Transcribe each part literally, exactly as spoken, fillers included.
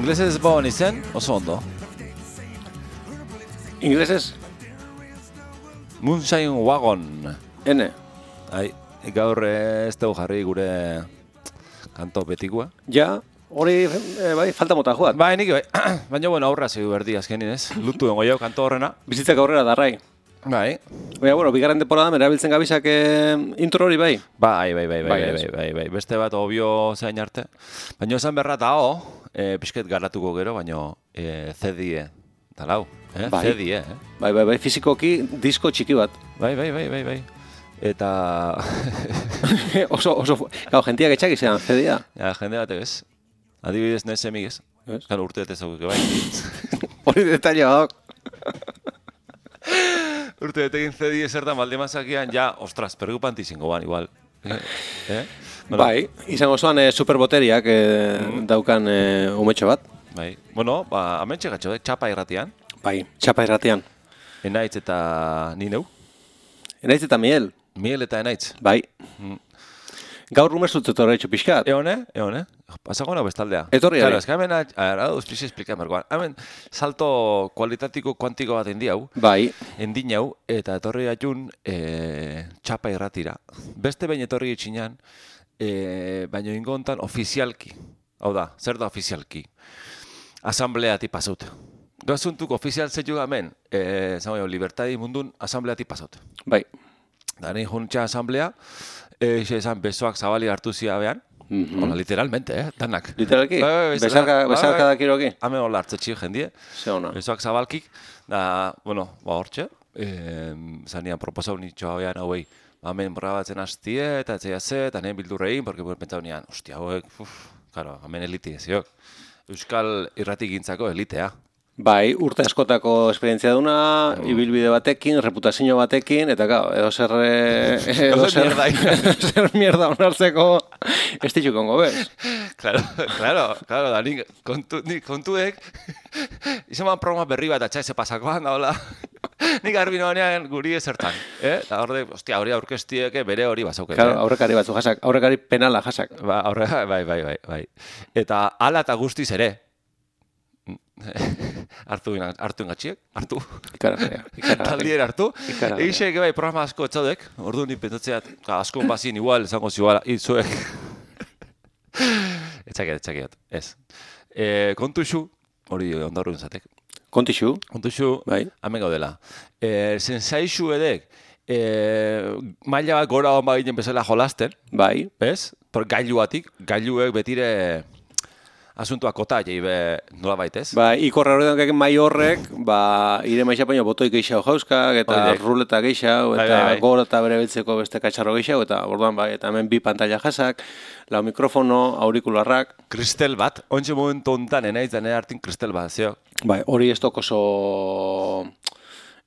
Inglesez bon izen, oso ondo. Inglesez? Moonshine Wagon. Ene. Ai, gaur ez dugu jarri gure kanto betikoa. Ja, hori e, bai, falta mota joat. Bai, nik bai. Baina, bueno, aurra zeu berdi azkenin ez. Lutu dengo jau kanto horrena. Bizitzak aurrera darrai. Bai. Baina, bueno, bigarren temporada erabiltzen gabizak eh, intro hori bai. Bai, bai, bai, bai, Bai, bai, ez. bai, bai, bai. Beste bat obio zain arte. Baina esan berra eta ho, e, pixket garatuko gero, baina e, C D-e. Talau, eh? Bai. C D-e, eh? Bai, bai, bai, fizikoki disko txiki bat. Bai, bai, bai, bai, bai. Eta... oso, oso, gau, jentiak etxak izan, C D-a. ja, jende batek ez. Adibidez nez emigez. Ez? Kan urte ez ezaguke bai. Hori detaile bat. Urte betekin C D zertan baldemazakian, ja, ostras, preocupanti zingo ban, igual. Eh? eh? Bueno, Bai, izango zoan eh, superboteriak eh, daukan eh, umetxo bat. bai. Bueno, ba, amentxe gatxo, eh? Txapa irratian. Bai, txapa irratian. Enaitz eta ni neu. Enaiz eta miel. Miel eta enaitz. Bai. Mm. Gaur rumezut etorra etxo pixkat. Eone, eone. Pasako nago bestaldea. Etorri Claro, ari. es que hemen, a ver, hau explizi explica merkoan. Hemen, salto kualitatiko kuantiko bat endi hau. Bai. Endin hau, eta etorri atxun e, txapa irratira. Beste behin etorri etxinan, e, baino ingo hontan ofizialki. Hau da, zer da ofizialki? Asambleati pasaut. Gazuntuk ofizial zeitu hemen, e, zango jau, libertadi mundun asambleati pasaut. Bai. Da, nahi juntxa asamblea, e, xe esan besoak zabali hartu zia behan. Mhm. Hola, literalmente, eh, danak. Literalki? Bai, bai, bezala. Besarka, Bai, besarka bai. dakiroki? Hemen hola hartzetxi jendie. Ze ona. Besoak zabalkik, da, bueno, ba hortxe, eh, zanian proposau nitxoa behan hauei, hemen borrabatzen hastie, eta etzea ze, eta nien bildurrein, porque bueno, pentsau nian, hostia, hauek, uf, karo, hemen elite eziok. Euskal irrati gintzako elitea. Bai, urte askotako esperientzia duna, ibilbide batekin, reputazio batekin, eta gau, edo zer... eh, edo Edozer mierda. edo zer mierda onartzeko ez ditxukongo bez. Claro, claro, claro, da, nik kontu, nik kontuek, izaman programa berri bat atxa eze pasakoan, da, hola, nik garbi noanean guri ezertan, eh? Da, horde, ostia, hori aurkestieke bere hori bazaukete. Claro, aurrekari batzu jasak, aurrekari penala jasak. Ba, aurre, bai, bai, bai, bai. Eta ala eta guztiz ere. hartu ina, hartu ingatxiek, hartu. Ikaragarria, ikaragarria. Taldier hartu. Ikaragarria. Egixek, bai, programa asko etzaudek. Ordu ni pentsatzeat, asko bazin igual, esango ziguala, itzuek. etxakiat, etxakiat, ez. E, kontu xu, hori ondaru entzatek. Kontixu, Kontu xu, bai. hemen gaudela. E, Zensaixu edek, e, maila bat gora hon baginen bezala jolasten, Bai. bez? Por gailuatik, gailuek betire asuntua kota jei be nola baitez. Ba, ikorra horretan mai horrek, ba, ire maixa baino botoi geixau jauskak, eta Horiek. ruleta geixau, Bai, eta bai, bai. gor eta bere beltzeko beste katxarro geixau, eta orduan bai, eta hemen bi pantalla jasak, lau mikrofono, aurikularrak, Kristel bat, ontsa momentu hontan enaiz da nire hartin kristel bat, zeo. bai, hori ez toko oso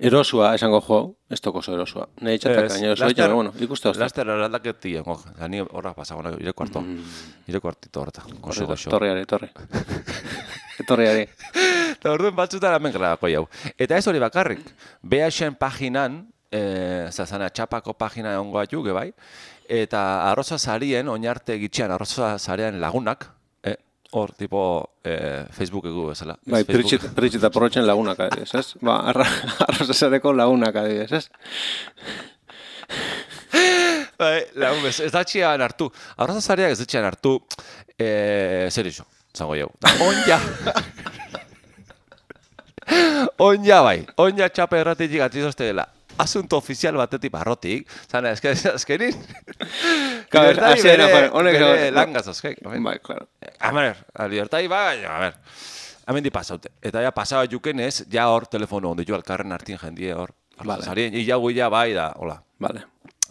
erosua, esango jo, ez toko oso erosua. Nei txatak gaino oso laster- bueno, ikuste hozta. Laster eraldaketi jengo, ni horra pasago, nire kuarto, nire kuartito horreta, goxo, goxo. Torriari, torri. Etorriari. Eta orduan batzutan hemen grabako jau. Eta ez hori bakarrik, B H-en paginan, e, zazana txapako pagina ongo atuke bai, eta arroza zarien, oinarte gitxean arroza zarean lagunak, eh, hor, tipo, e, Facebookeko bezala. ez, Bai, Facebook. peritxi eta porrotxen lagunak adibidez, ez? Ba, arra, arrozazareko lagunak adibidez, ez? Bai, lagun bez, ez datxean hartu. Arroza zareak ez datxean hartu, e, zer iso, zango jau. Onja. Onja bai, onja txapa erratetik atzizozte dela. Asunto ofizial batetik barrotik, zana, eske, eskenin. Claro, Libertadi hasiera, bere, joder, honek- bere langaz, oskek. Bai, claro. A ver, a libertadi bai, a ver. Hemen di pasaute. Eta ja pasaba jukenez, ja hor telefono ondo jo alkarren hartin jendie hor. Vale. Zarien, ia guia bai da, hola. Vale.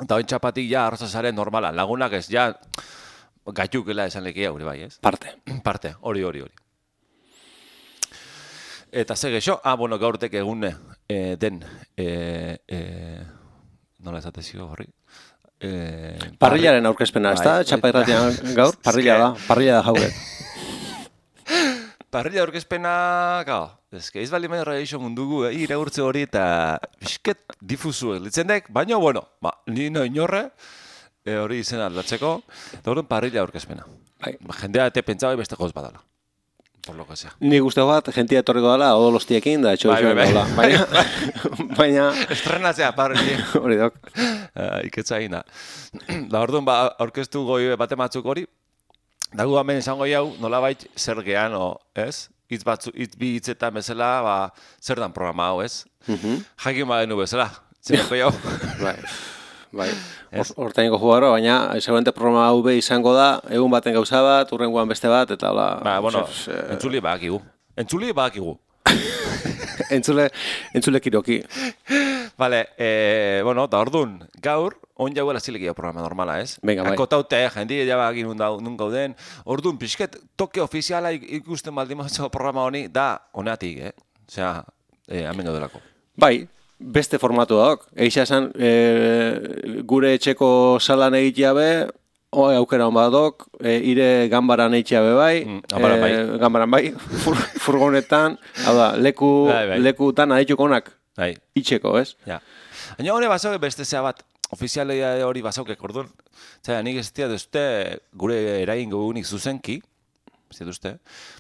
Eta oin txapatik ja arrozazaren normala. Lagunak ez ja gaitukela esan lekia hori bai, ez? Parte. Parte, hori, hori, hori. Eta ze gexo, ah, bueno, gaurtek egune eh, den, eh, eh, nola esatezio horri? Eh, Parrillaren aurkezpena, ez da? Bai, Txapa bai. irratian gaur? Parrilla da, parrilla da jauret. Parrilla aurkezpena, gau, ezke, ez bali menra eixo mundugu, eh, iraurtze hori eta bisket difusu litzendek, baina, bueno, ba, ni no inorre, eh, hori izena aldatzeko, eta horren parrilla aurkezpena. Bai. Ba, jendea ete pentsaba beste goz badala. por lo que sea. Nik uste bat, jentia etorriko dela, odolostiekin, da, etxo Bai, bai, bai. baina, baina, Estrenatzea, parri. hori dok. Uh, iketza egin da. Da, orduan, ba, orkestu goi bate batzuk hori, dago hemen esango jau, nolabait zer gehan, o, ez? Itz batzu, itz bi hitzetan bezala, ba, zer dan programa hau, ez? Mhm. Jakin badenu bezala, zerako jau. Bai, bai. Hortaineko jugarro, baina, seguramente programa hau be izango da, egun baten gauza bat, urrengoan beste bat, eta hola... Ba, bueno, pues, eh, entzuli badakigu. Entzuli badakigu. entzule, entzule kiroki. Vale, eh, bueno, da orduan, gaur, on jauela zilekia programa normala, ez? Venga, bai. Akotaute, jendi jabagin nun gauden. Orduan, pixket, toke ofiziala ikusten baldin mazo programa honi, da, honeatik, eh? Osea, eh, hemen gaudelako. Bai, beste formatu dauk. Eixa esan, e, gure etxeko salan egitea be, o, aukera hon badok, e, ire ganbaran egitea be bai, Mm, ganbaran bai. e, ganbaran bai, fur, furgonetan, hau da, leku, Bai, bai. lekutan adituko onak Bai, itxeko, ez? ja. Baina hori basauke beste zea bat, ofizialia hori basauke, orduan, zera, nik ez dira duzte gure eragin gugunik zuzenki, ez dira duzte,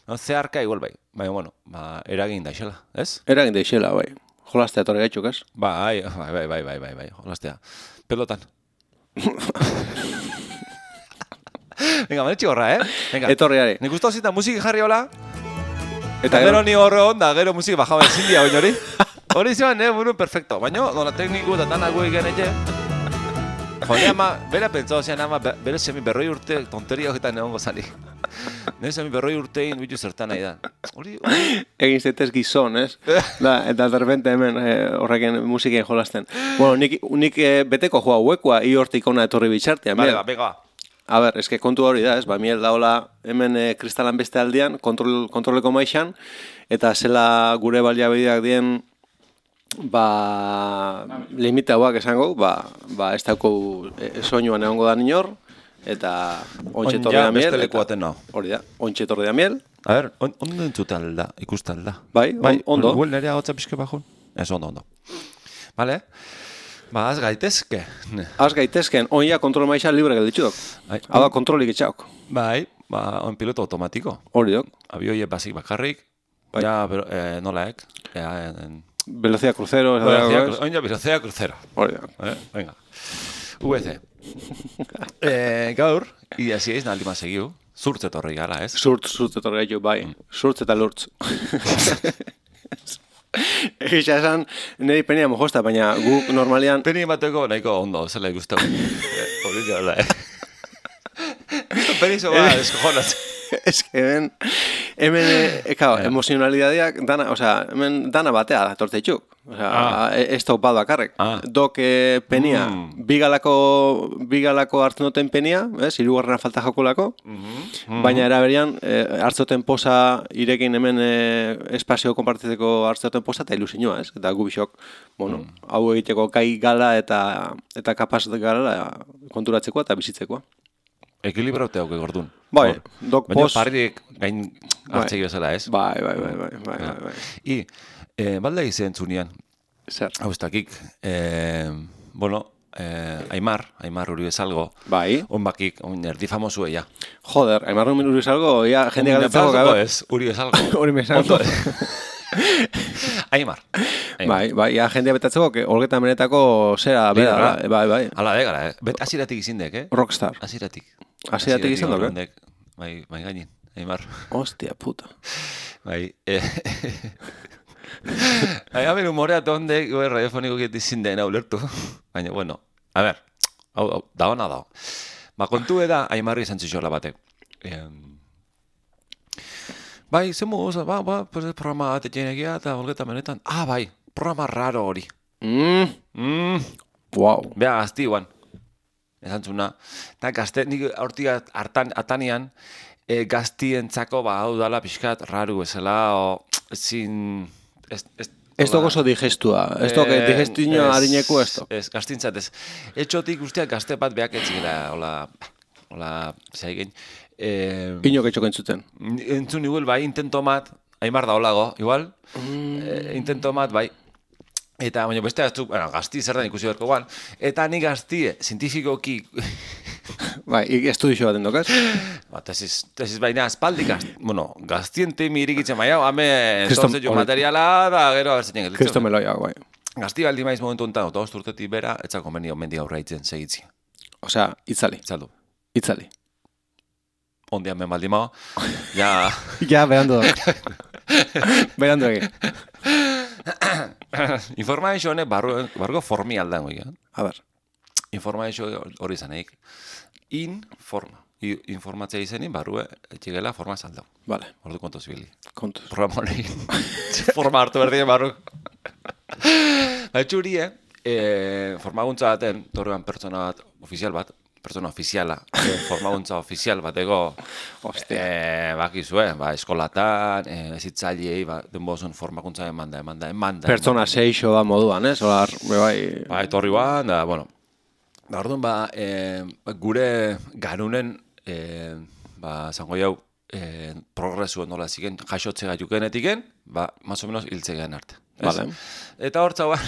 no, zeharka igual bai, baina, bueno, ba, eragin daixela, ez? Eragin deixela, bai. Jolastea torre gaitxuk, ez? Bai, bai, bai, bai, bai, bai, bai, jolastea. Pelotan. Venga, manetxi horra, eh? Venga. Etorriari. Nik gustau zita musiki jarri hola, Eta gero ni horre onda, gero musiki bajaba ezin dia baina hori. Hori zeban, eh, burun perfecto. Baina, dola tekniku eta tanak gu egin etxe. Jone ama, bera pentsau zean ama, bere semi berroi urte tonteria horretan egongo zani. Nire semi berroi urtein bitu zertan nahi da. Hori, hori... egin zaitez gizon, ez? Da, eta derrepente hemen e, horrekin musikien jolasten. Bueno, nik, nik e, beteko joa huekoa, i hortik ona etorri bitxartea. Vale, ba, bega. A ber, eske kontu hori da, ez? Ba, miel da hola hemen e, kristalan beste aldean, kontrol, kontroleko maixan, eta zela gure baliabideak dien, ba, limita hauak esango, ba, ba ez dauko e, soinuan egongo da inor, eta ontxe torri da miel. Beste lekuaten nao. Hori da, ontxe torri da miel. A ver, on, ondo entzute alda, ikusta alda. Bai, on, ondo. Huel nerea hotza pixke bajun? Ez, ondo, ondo. Vale? Ba, az gaitezke. Az gaitezken, oia kontrol maixa libre gelditxudok. Bai. Hau da kontrolik etxauk. Bai, ba, on piloto automatiko. Hori dok. Abioie basik bakarrik. Bai. Ja, pero, eh, nolaek. Ja, en... Velocidad crucero. ez Velocidad dago, cru- ez? Oin ja, velocidad crucero. Hori dok. Eh, venga. V C. eh, gaur, ia zieiz naldi ma segiu. Zurtze torri gara, ez? Zurt, zurt etorri gaitu, bai. Zurtz eta lurtz. Egixa esan, niri penia mojosta, baina guk normalian... Peni bateko nahiko ondo, zela ikustau. Hori gara, eh? Peni zo ba, eskojonaz. Ez que hemen, hemen, e, kao, emozionalidadeak, dana, osea, hemen dana batea da, torteitxuk. Osea, Ah. e- ez dok bat bakarrek. Ah. Dok e, penia, Mm. bigalako, bigalako hartzen duten penia, ez, hirugarrena falta jokulako, baina eraberian, e, hartzoten posa, irekin hemen e, espazio konpartitzeko hartzoten posa, eta ilusioa, ez? Eta gu bisok, bueno, hau egiteko kai gala eta eta kapaz gala konturatzeko eta bizitzeko. Ekilibraute hauke gordun. Bai, Hor. dok Baina pos... parrik gain hartzei bezala, ez? Bai, bai, bai, bai, bai, bai, bai. I, eh, balda izen zunian, Zer? hau ez dakik, eh, bueno, eh, Aimar, Aimar uri bezalgo, Bai. on bakik, on erdi famosu ella. Joder, aimarru minuri salgo, ya jende galdetzako gabe. gabe. Ez, uri bezalgo. Hori me salgo. Ondo, Aimar. Aimar. Bai, bai, ya jendea betatzeko, que olgetan benetako zera, bera, Liderra. bai, bai. Hala, begara, eh? Bet, aziratik izindek, eh? Rockstar. Aziratik. Hasieratik izan duk, eh? ondek, Bai, bai gainin, Aimar. Hostia, puta. Bai, eh... Bai, haber humorea tondek, bai, radiofoniko geti zinden ulertu. Baina, bueno, a ver, hau, hau, da hona da. Ba, kontu eda, Aimarri izan zixola batek. Eh, bai, zemu, oza, ba, ba, pues, programa bat etxenegia eta holgeta benetan. Ah, bai, programa raro hori. Mm, Mm, wow. Bea gazti guan. Esan zuna. Eta gazte, nik hortik hartan, atanian, e, gaztientzako, ba, hau dala pixkat raru bezala, o, ezin... Ez, ez, Ez dok oso digestua, ez dok Eh, digestino ez, harineku ez dok. Ez, gaztintzat ez. Etxotik guztiak gazte bat beak etzigela, hola, hola, zeigen. Eh, Inok etxoko entzuten. entzun igual, bai, intento mat, Aimar da holago, igual, eh, intento mat, bai. Eta, baina beste gaztu, bueno, gazti zer da ikusi beharko guan, eta ni gaztie, zientifikoki Bai, estudixo bat endok, ez? Ba, tesis, tesis baina espaldik, bueno, gaztiente mirikitzen maia, hame Kriston- entonces jo materiala, da, gero, abertzen gelditzen. Kristo meloia, bai. Gazti baldi maiz momentu enten, otoz urtetik bera, etzak konbenio mendi aurraitzen segitzi. Osea, itzali, Itzaldu. itzali. Ondian ben baldi mao, ja... Ja, berandu dok. Berandu egin. Informazio honek barru, barruko formi aldan goi, eh? A ber, Informazio hori zaneik. Informa. I, informatzea izenin barrue etxigela forma zaldau. vale, Ordu kontu zibili. kontuz. Programa hori. Forma hartu berdien barru. Ba, txuri, eh? E, formaguntza baten, torrean pertsona bat, ofizial bat, pertsona ofiziala, e, formaguntza ofizial bateko, Ostia. e, bakizue, ba, eskolatan, e, ezitzaileei, ba, denbozun formakuntza emanda, emanda, emanda. Pertsona seixo da moduan, ez? Olar, bai... Ba, etorri guan, da, bueno, da, orduan, ba, e, gure garunen, e, ba, zango jau, e, progresua nola ziken, jaixotze gaiukenetiken, ba, más o menos hiltzegean arte. Ez? Vale. Eta hortza, ba,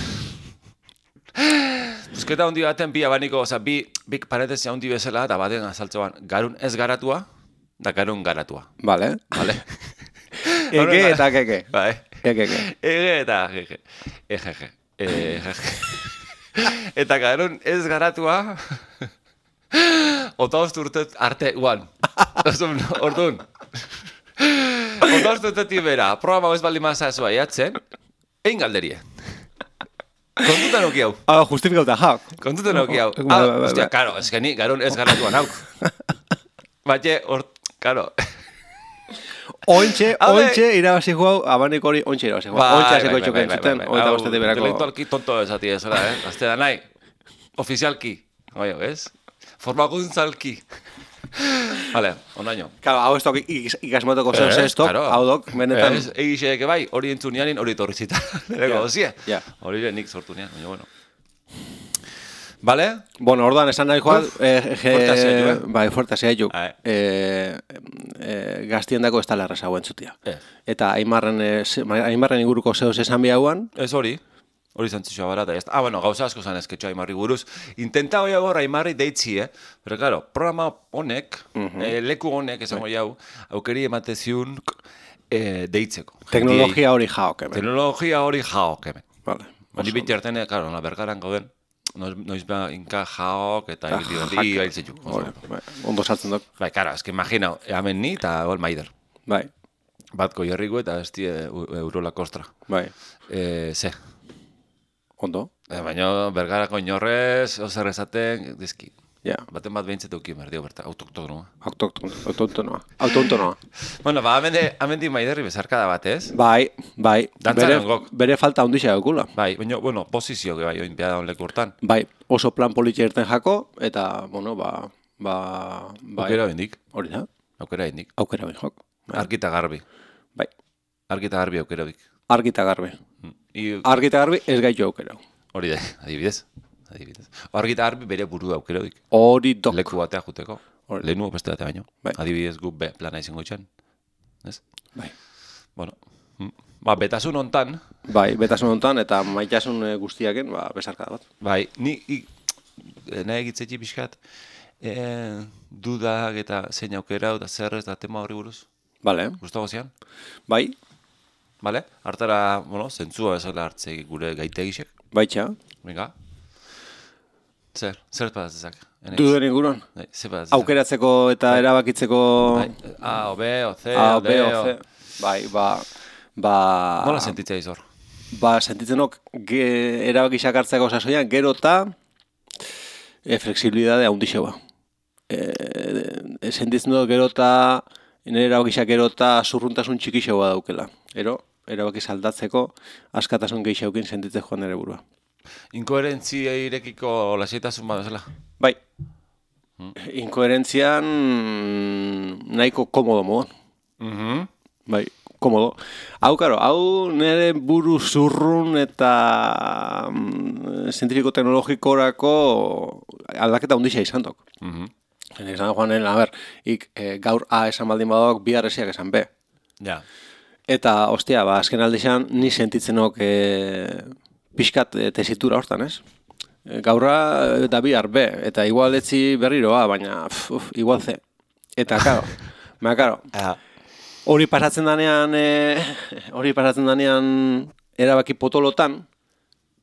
busketa hundi baten bi abaniko, oza, bi, bi paretezia hundi bezala, eta baten azaltzean, garun ez garatua, da garun garatua. Vale. Vale? Ege eta keke. Bai. Egeke. Ege eta gege. Egege. Egege. Eta garun ez garatua, otaost urtet arte guan. Orduan, orduan. Otaost urtetik bera, programa ez baldin maza ezua jatzen, egin galderie. Kontutan oki hau. Ah, justifikauta, jauk. Kontutan oki hau. Bai, Ah, bai, bai, ostia, bai. karo, ez geni, garun ez garatuan hauk. Batxe, hor, karo. Ointxe, Habe- ointxe irabazi hau, abaniko hori ointxe irabazi hau. Ointxe hasiko itxuken zuten, oita bostetik berako. Intelektualki tonto esati ezela, eh? Azte da nahi. Ofizialki. Oio, ez? Formakuntzalki. Vale, onaino. Claro, hau ez dok ikasmotoko zeu zestok, claro. hau dok, benetan... Ez, egixeek bai, hori entzunianin, hori torri zita. Lego, ozie. ja. Hori nik sortu nian, baina bueno. Vale? Bueno, orduan esan nahi joan, eh, fuerte hasia jo, eh? bai, fuerte hasia jo. Ae. Eh, eh, gaztiendako ez tala erraza hauen zutia. Ez. Eta Aimarren, eh, ze- Aimarren inguruko zeus esan biauan, Ez hori. Hori zantzitsua barata. Ez. Ah, bueno, gauza asko zan ezketxo Aimarri buruz. Intenta hoi agor Aimarri deitzi, eh? Pero, claro, programa honek, eh, leku honek, esango jau, aukeri emateziun eh, deitzeko. teknologia hori jaok, hemen. Teknologia hori jaok, hemen. Vale. Bali biti hartzen, claro, la bergaran gauden, noiz, noiz ba, inka jaok eta Ah, egiti jaka. hori gailtzen juk. Hori, bai, ondo sartzen dok. Bai, kara, eski imagina, hemen ni eta gol maider. Bai, Batko jarriko eta ez die eurola kostra. bai, E, ze, ondo, e, baina bergarako inorrez, ozer esaten, dizki. ja. Baten bat behintzat euki merdio berta, autoktonoa. Autoktonoa, autoktonoa, autoktonoa. Bueno, ba, amende, amendi maiderri bezarkada bat, ez? Bai, bai, Dantzan bere, engok. bere falta ondixea daukula. Bai, baina, bueno, posizio, que bai, oinpiada honleku hortan. Bai, oso plan politxe irten jako, eta, bueno, ba, ba, bai, Aukera bendik, hori da, aukera bendik. aukera bin jok. Bai, Arkita garbi, bai, arkita garbi aukera bik. argita garbi. I, Argita garbi ez gaitu aukera. hori da, adibidez. Adibidez. Argita garbi bere burua aukera bik. Hori dok. Leku batea juteko. Hori. Lehenu beste batea baino. Bai. Adibidez gu be, plana izango itxan. Ez? Bai. Bueno. mm. Ba, betasun hontan, Bai, betasun honetan eta maitasun eh, guztiaken, ba, besarkada bat. bai, ni i, e, nahi egitzetxi pixkat, e, dudak eta zein aukera eta zer ez da tema horri buruz. Bale, Gustago zian? bai, Bale? Hartara, bueno, zentzua bezala hartze gure gaitegisek. baitxa, Venga. Zer, zer patatzezak? duden inguruan. Bai, zer patatzezak? Aukeratzeko eta erabakitzeko Bai, A, o B, o C, A, o B, D, o C. Bai, ba, ba, Nola sentitzea izor? ba, sentitzenok ge, erabakisak hartzeko sasoian, gero eta e, flexibilidade handixeua. E, e, sentitzen dut gero eta nire erabakisak gero eta zurruntasun txikixeua daukela. Ero, erabakiz aldatzeko askatasun gehiagokin sentitzen joan nire burua. Inkoherentzia irekiko lasietasun bat bezala? Bai, inkoherentzian nahiko komodo moduan. Mhm. Bai, komodo. Hau, karo, hau nire buru zurrun eta mm, zientifiko teknologikorako aldaketa hundixa izan dok. Mhm. Zen izan joanen, a ber, ik e, gaur A esan baldin badok, bihar esiak esan B. Ja. Eta, ostia, ba, azken aldixan, ni sentitzenok e, pixkat e, tesitura hortan, ez? gaurra da bihar B, eta igual etzi berriroa, baina uf, uf, igual C. Eta, karo, baina, karo, hori pasatzen danean, e, hori pasatzen danean erabaki potolotan,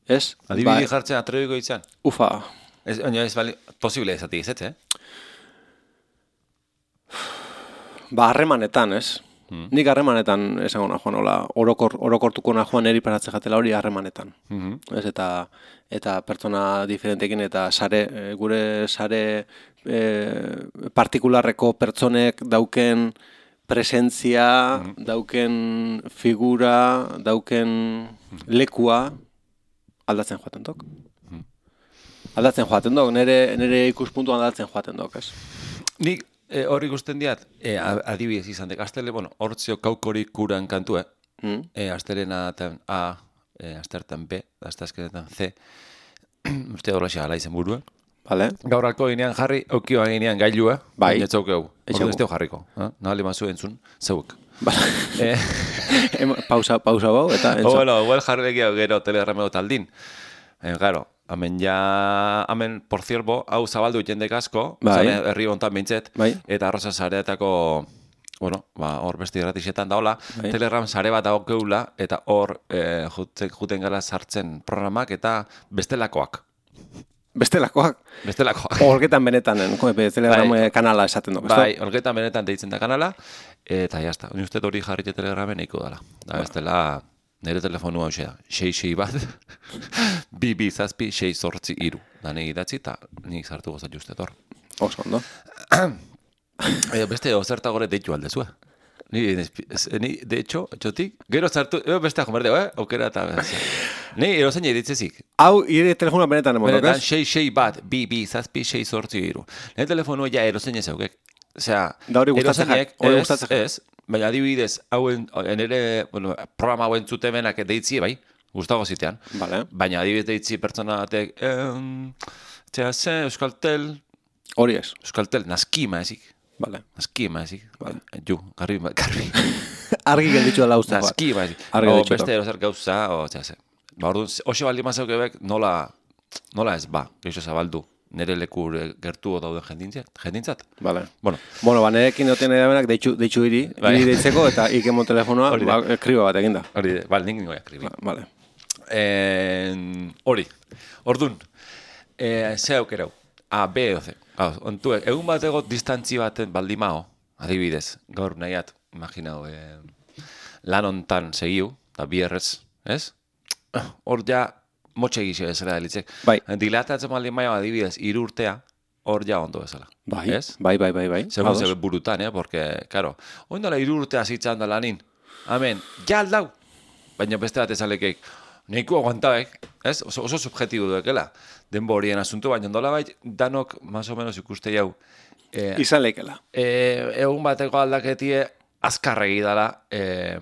ez? Adibidi ba, jartzen atrebiko izan? Ufa. Ez, oina ez bali, posible ezatik ez, eh? Ba, harremanetan, ez? Hmm. Nik harremanetan esango nahoan, hola, orokor, orokortuko nahoan eri pasatzen jatela hori harremanetan. Mm-hmm. Ez, eta, eta pertsona diferentekin eta sare, gure sare e, partikularreko pertsonek dauken presentzia, mm-hmm. dauken figura, dauken lekua aldatzen joaten dok. Mm-hmm. Aldatzen joaten dok, nire, nire ikuspuntuan aldatzen joaten dok, ez? Nik E, hor ikusten diat, e, adibidez izan dek, astele, bueno, hortzio kaukorik kuran kantue, mm. e, astelena A, e, astertan B, astazkenetan C, uste horrexea ala izen burua. Vale. Gaur alko ginean jarri, aukioa ginean gailua, bai. Baina etzauk egu, ordu ez teo jarriko, eh? Nahali mazu entzun, zeuek. Vale. e, pausa, pausa bau, eta entzun. O, bueno, huel jarri legia gero telegrameo taldin. E, garo, Hemen ja, hemen, por cierto, hau zabaldu jendek asko, bai. Herri hontan bintzet, bai. Eta arroza zareetako, bueno, ba, hor besti gratixetan daola, bai. Telegram zare bat dago geula, eta hor e, juten, juten gara sartzen programak eta bestelakoak. Bestelakoak? Bestelakoak. Olgetan benetan, Telegram bai. Kanala esaten du. Bai, olgetan benetan deitzen da kanala, eta jazta, ni uste hori jarri Telegramen eiko dala. Da, bestela... Nere telefonua hau da, sei sei bat, bi bi zazpi, sei zortzi iru. Da negi idatzi eta nik sartu gozat justet hor. Oso, ondo. e, beste ozerta gore deitu aldezua. Ni, ni, de hecho, txotik, gero sartu, e, beste ajomerdeo, eh? Okera eta... Ni, erozen editzezik. Hau, ire telefonua benetan emondok, ez? Benetan, sei sei bat, bi bi zazpi, sei zortzi iru. Nere telefonua ja erozen ezaukek. Osea, da hori gustatzen jak, hori gustatzen jak. Ez, baina adibidez, hauen, ere, bueno, programa hauen zutemenak deitzi, bai, gustago zitean. Vale. Baina adibidez deitzi pertsona batek, em, txea ze, Euskaltel... Hori ez. Euskaltel, naskima ezik. Vale. Naskima ezik. Vale. Ju, garbi, garbi. Argi gelditzu dela uste. Naskima ezik. O beste erozer gauza, o txea ze. Ba, orduan, hoxe baldi mazau gebek, nola, nola ez, ba, geixo zabaldu. Nere leku gertu dauden jendintzat. Vale. Bueno, bueno ba, nerekin noten edabenak deitxu, deitxu iri, bai. Iri deitzeko eta ikemon telefonoa, ba, ekriba bat eginda. Hori, bal, nik ningoia ekriba. Ba, vale. Hori, ordun, e, ze aukerau, A, B edo C. Ontu, egun bat ego distantzi baten baldimao, adibidez, gaur nahiat, imaginau, e, lan hontan segiu, eta bierrez, ez? Hor ja, motxe egizio bezala delitzek. Bai. Dilatatzen maldin maio adibidez, hiru urtea, hor ja ondo bezala. Bai, ez? bai, bai, bai, bai. Segun zebe burutan, eh? Porque, karo, oindala hiru urtea zitzan da lanin. Amen, ja aldau. Baina beste bat ezalekeik, nahiko aguantabek, ez? Oso, oso subjetibu duekela. Denbo horien asuntu, baina ondola bai, danok, más o menos ikuste jau. Eh, Izan leikela. Eh, egun bateko aldaketie, azkarregi dala, eh,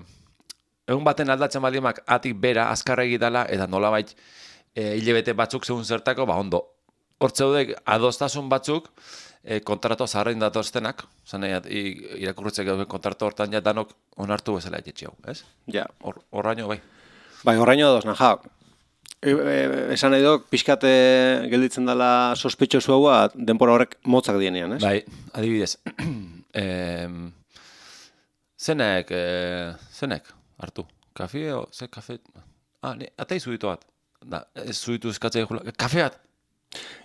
egun baten aldatzen balimak atik bera, azkarregi dala, eta nola bai, E, hilebete batzuk segun zertako, ba ondo. Hortzeudek adostasun batzuk e, kontrato zaharrein datoztenak, zan irakurritzek gauken kontrato hortan ja danok onartu bezala etxetxe hau, ez? Ja. Hor, horraino bai. Bai, horraino ados, naha. E, e, esan nahi dok, pixkate gelditzen dela sospetxosu haua denpora horrek motzak dienean, ez? Bai, adibidez. e, zenek, e, zenek, hartu, kafe o, ze kafe? Ah, ne, atai zuitu bat. Da, ez zuitu eskatzea jula. Kafe bat?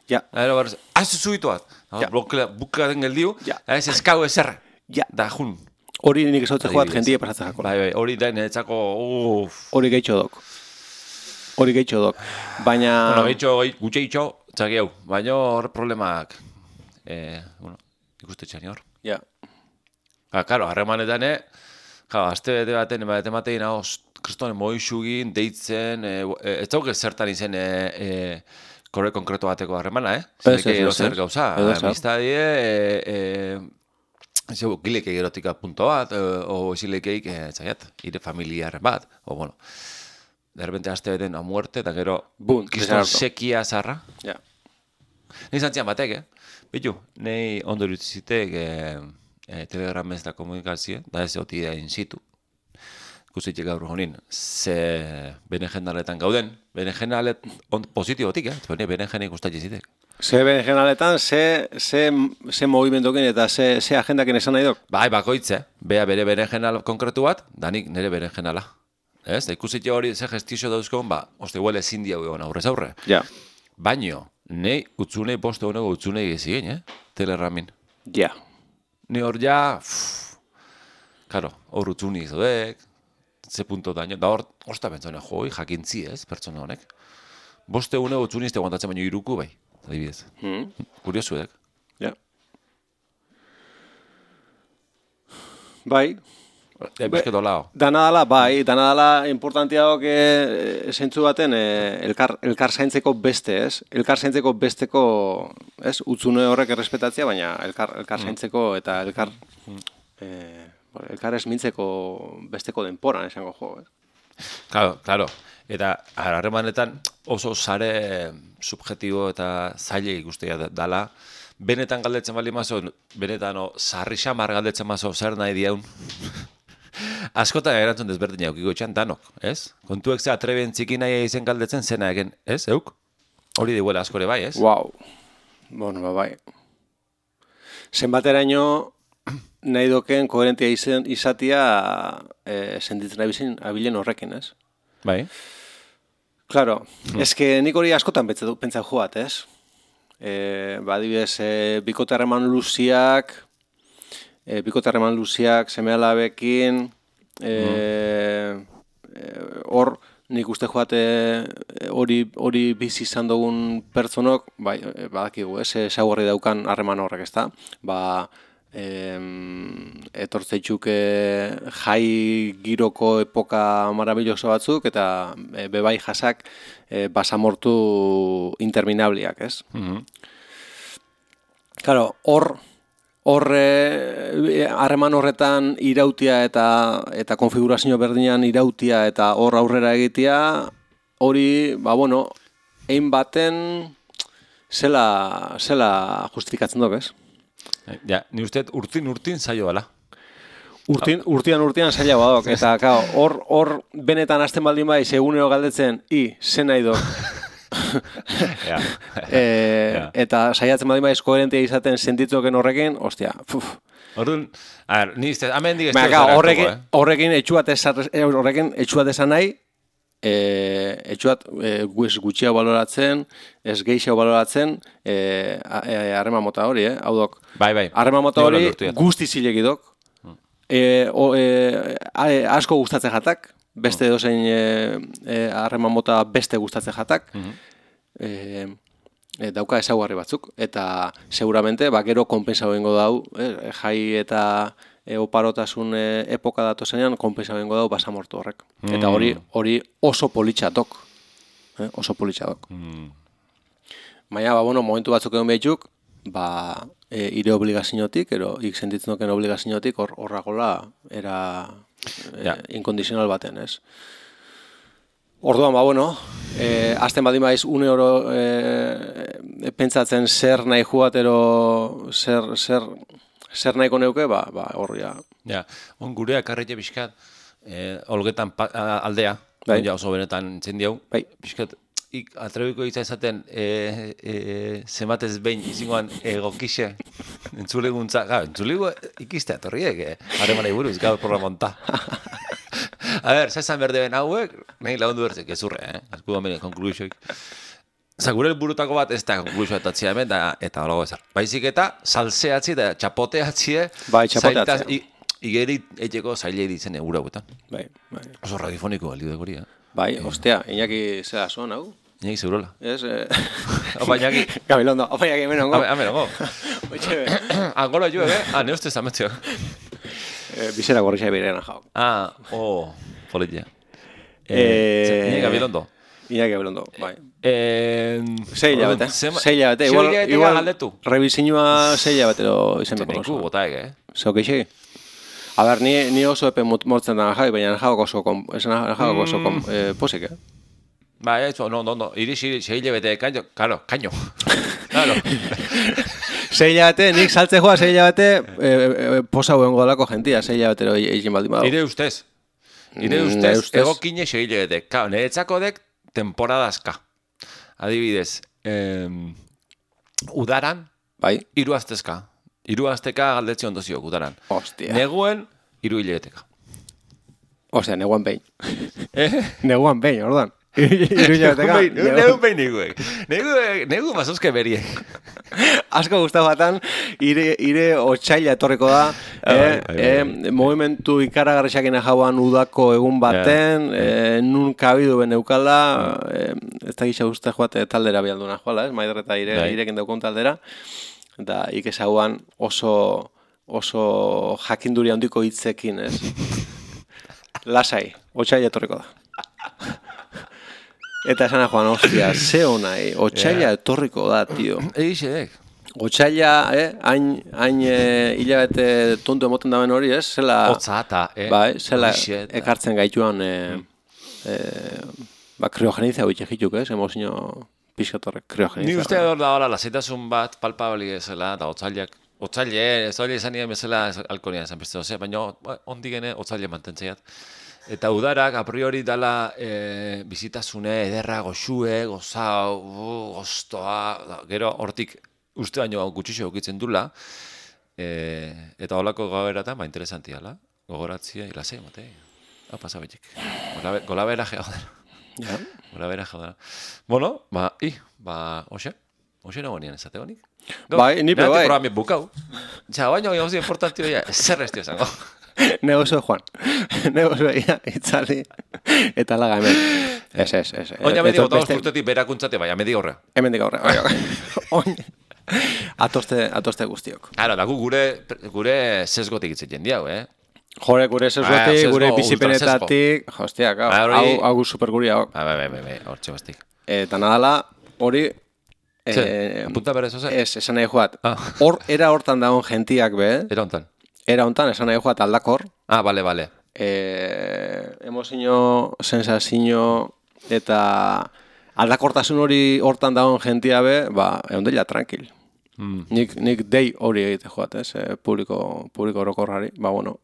Ja. Aero barrez, az zuitu bat. Ja. Bukaten geldiu, ja. Ez eskau ezerra. Ja. Da, jun. Hori nik esautzeko bat jentie pasatzen jako. Bai, bai, hori da niretzako, uff. Hori gehitxo dok. Hori gehitxo dok. Baina... Bueno, gehitxo, gutxe gehitxo, txaki hau. Baina hor problemak, eh, bueno, ikuste txani hor. Ja. Ha, karo, harremanetan, eh, ja, azte bete baten, bete matein, hau, kristonen moixugin, deitzen, e, e, ez dauk zertan izen e, e, korre konkreto bateko harremana, eh? Ez, ez, ez. Zer gauza, amistadie, e, e, zeu, gileke erotika punto bat, e, o esilekeik, e, zaiat, ire familiarren bat, o, bueno, de repente azte beten a muerte, eta gero, kriston sekia zarra. Ja. Nei zantzian batek, eh? Bitu, nei ondo irutzitek e, e, telegramez da komunikazio, da ez oti da in situ. ikusitik gaur honin, ze berenjenaletan gauden, berenjenalet on positibotik, eh? Bene berenjenek gustatzen zitek. Ze berenjenaletan, ze, ze, ze movimentokin eta ze, ze agendakin esan nahi dok? Bai, bakoitze, bea bere berenjenal konkretu bat, danik nire berenjenala. Ez, da ikusitik hori ze gestizio dauzkon, ba, oste huele ezin diau egon aurrez aurre. Ja. Baino, nei utzunei poste honego utzunei gezien, eh? Telerramin. Ja. Ni hor ja, pff, karo, hor utzuni izodek, ze punto daño, da hor, osta bentzone, joi, jakintzi ez, pertsona honek. Boste une utzunizte guantatzen baino iruku bai, adibidez. Mm. Kuriosu edek. Ja. Bai. E, bizketo lao. Dana dala, bai, dana dala importantiago e, zentzu baten e, elkar, elkar zaintzeko beste, ez? Elkar zaintzeko besteko, ez? Utzune horrek errespetatzea, baina elkar, elkar zaintzeko eta elkar, e, elkar esmintzeko besteko denporan esango jo, ez? Claro, claro. Eta harremanetan oso sare subjetibo eta zaile ikustea dala. Benetan galdetzen bali mazo, benetan o, sarri xamar galdetzen mazo, zer nahi diaun. Askotan erantzun desberdin jaukiko etxan danok, ez? Kontuek ze atreben txiki nahi izen galdetzen zena egen, ez, euk? Hori diguela askore bai, ez? Wow. Bueno, ba, bai. Zenbateraino nahi doken koherentia izen, izatia e, sentitzen abizin abilen horrekin, ez? Bai. Claro, hmm. Ez que nik hori askotan pentsa joat, ez? E, ba, adibidez, e, bikote harreman luziak, e, bikote harreman luziak, seme-alabekin, hor, e, nik uste joate hori hori bizi izan dugun pertsonok, bai, badakigu, ez, ezaugarri daukan harreman horrek, ezta? Ba, em, etortzeitxuk jai giroko epoka marabilloso batzuk, eta e, bebai jasak e, basamortu interminabliak, ez? Mm-hmm. Claro, hor, hor harreman horretan irautia eta eta konfigurazio berdinean irautia eta hor aurrera egitea, hori, ba, bueno, ein baten zela, zela justifikatzen duk, ez? Ja, ni usteet urtin-urtin zailo bala. Urtin, urtian urtian zaila badok, eta kao, hor, hor benetan hasten baldin bai, segunero galdetzen, i, zen nahi dok. Ja. e, Ja. Eta saiatzen baldin bai koherentia izaten sentitzoken horrekin, ostia, puf. Orduan, a ver, ni izte, hemen dik ez Baina, dut horrekin, eh? horrekin etxuat esar, horrekin etxuat esan nahi, e, etxuat e, gutxiago baloratzen, ez gehiago baloratzen, harreman e, mota hori, eh? Hau dok. Bai, bai. Harreman mota hori guzti zilegi dok. E, o, e, asko gustatzen jatak, beste dozein harreman e, mota beste gustatzen jatak, e, e, dauka ezaugarri batzuk, eta seguramente, ba, gero konpensa bengo dau, e, jai eta e, oparotasun e, epoka datozenean konpensa bengo dau basamortu horrek. Mm. Eta hori hori oso politxatok, e, oso politxatok. Mm. Baina, ba, bueno, momentu batzuk egon behitzuk, ba, e, ire obligaziotik, ero ik sentitzen duken obligaziotik, hor horragola era e, ja. Inkondizional baten, ez? Orduan, ba, bueno, e, azten badin baiz une oro e, pentsatzen zer nahi juatero, zer, zer, zer nahiko neuke, ba, ba, hor, ja. Ja, on gurea karretxe pixkat, e, olgetan pa, aldea, bai. Ja oso benetan txendiau, bai. Pixkat, ik atrebiko itza esaten e, e, zenbatez behin izingoan egokixe entzuleguntza, gara, entzulegu ikiste atorriek, eh? Harremanei buruz, gaur programonta. A ber, zazan berde ben hauek, nahi lagundu bertzek, ezurre, eh? Azku da mene, konklusioik. Zagure burutako bat ez da konklusioa etatzia hemen, da, eta holago ezar. Baizik eta, salseatzi eta txapoteatzi, bai, txapoteatzi. Igeri etxeko zaile ditzen egura guetan. Bai, bai. Oso radiofoniko balio degori, eh? Bai, ostia, Iñaki zera zuen, hau? Iñaki zeurola. Ez, eh... Opa, Iñaki. Gabilondo, opa, Iñaki, menongo. Amenongo. Oitxe, be. Angolo jo, eh? Ah, ne uste zametzio. Bizera gorrixa berean jau. Ah, oh, politia. Eh... Iñaki Gabilondo. Iñaki Gabilondo, bai. Eh... Seila bete, seila bete. Igual, igual, rebizinua seila betero izen beko. Teneiku, botaek, eh? Zeu keixegi? A ber, ni, ni oso epe mortzen da jai, baina jauak oso, kom, jauak oso kom, eh, posik, eh? Ba, eso, no, no, no, iris, iris, seile bete, kaino, karo, kaino. Claro. Seila bete, nik saltze joa seila bete, eh, eh, posa huen godalako jentia, seila betero egin baldin badu. Ire ustez. Ire ustez, egokine segilegetek. Kao, niretzako dek temporadazka. Adibidez, eh, udaran, bai, hiru astezka. Hiru asteka galdetzi ondoziok udaran. Hostia. Neguen, hiru hilegeteka. Osea, neguan behin. Eh? Neguan behin, ordan. Iruñateka. Negu behin niguek. Negu, negu mazozke beriek. Asko gustau batan, ire, ire otxaila etorriko da, Ah, eh, bai, bai, bai, eh, movimentu ikaragarrisakena jauan udako egun baten, eh, nun kabidu ben eukala, eh, ez da gisa uste joate taldera bialduna joala, ez, Maider eta ire, Bai. irekin daukun taldera, eta ikesauan oso, oso jakinduri handiko hitzekin, ez? Lasai, otxaila etorriko da. Eta esana joan, ostia, ze honai, otxaila etorriko da, tio. Egixe dek. Otxaila, eh, hain, hain eh, hilabete tontu emoten daben hori, ez? Zela, Otzata, eh? bai, zela Horixe, eta- ekartzen gaituan, eh, eh, ba, kriogenizia hoitxe jituk, ez? Emozio pixkatorrek kriogenizia. Ni uste hor da hola, lasaitasun bat palpabli ezela, da otzailak. Otzaile, ez hori esan nien bezala alkonia esan beste doze, baina ondik gene otzaile mantentzeiat. Eta udarak a priori dala e, bizitasune, ederra, goxue, gozau, uh, goztoa, da, gero hortik uste baino gutxixo okitzen dula, e, eta holako gaueratan, ba, interesanti ala, gogoratzia, ilasei, matei, hau pasa betik. Golabera geodera. Ja. Golabera geodera. Bueno, ba, i, ba, hoxe, hoxe nago nien esate honik. Bai, nipe bai. Programi bukau. Ja, baina gauzi importantio ja, zer estio zango. Negozo Juan. Negozo ia, itzali. Eta laga hemen. Ez, ez, ez. Oina medi gotagoz urtetik berakuntzate, baina medi horre. Hemendik aurre. Bai, bai. Oin. Atoste, atoste guztiok. Ara, da gu gure, gure sesgotik itzen diau, eh? Jore, gure sesgotik, sesgo, gure ultrasesgo. bizipenetatik, hostia, Ah, hau, hori- hau, hau superguria, hau. Ba, ba, ba, ba, ba, hortxe bastik. Eta nadala, hori, Ze, eh, apunta berez, oze? ez, esan nahi joat. Ah. Hor, era hortan dagoen gentiak, be, Era hontan. era hontan, esan nahi joat aldakor, Ah, bale, bale. eh, emozio, sensazio, eta aldakortasun hori hortan dagoen gentia be, ba, egon dela tranquil. Mm. Nik, nik dei hori egite joat, ez, eh, publiko, publiko orokorrari, ba, bueno,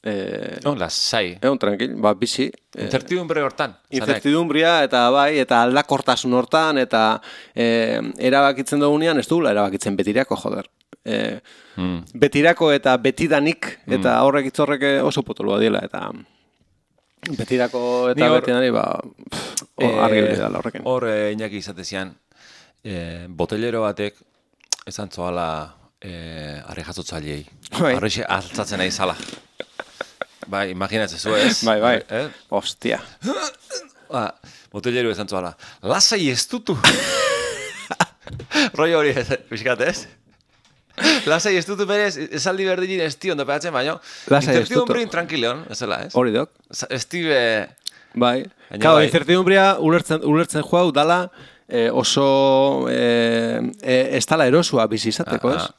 eh, No, lasai. egon tranquil, ba, bizi, eh, Incertidumbre hortan. zanek. incertidumbria eta bai, eta aldakortasun hortan, eta eh, erabakitzen dugunean, ez dugula erabakitzen betirako, joder. Eh, Mm. betirako eta betidanik, eta horrek itzorrek oso potolua dela, eta betirako eta Ni hor- betidani, ba, pff, hor Eh, argi hori dela horrekin. Hor, eh, Iñaki izatezian, eh, botellero batek, esan zoala, eh, arre jasotzaileei. Bai. Arrexe altzatzen nahi zala. Bai, imaginatzen zu, ez? Bai, bai. Eh? Ostia. Ba, botellero esan zoala, lasai ez dutu. Roi hori, pixkat, ez? Lasai ez dutu berez, esaldi berdinin ez tion dopeatzen, baina Lasai ez dutu. incertidumbrin tranquileon, ez dela, ez? Hori dok. Ez dibe... Bai. Baina Kau, bai. incertidumbria ulertzen, ulertzen joau dala eh, oso eh, eh, ez dala erosua bizi izateko, Ah, ez? ah.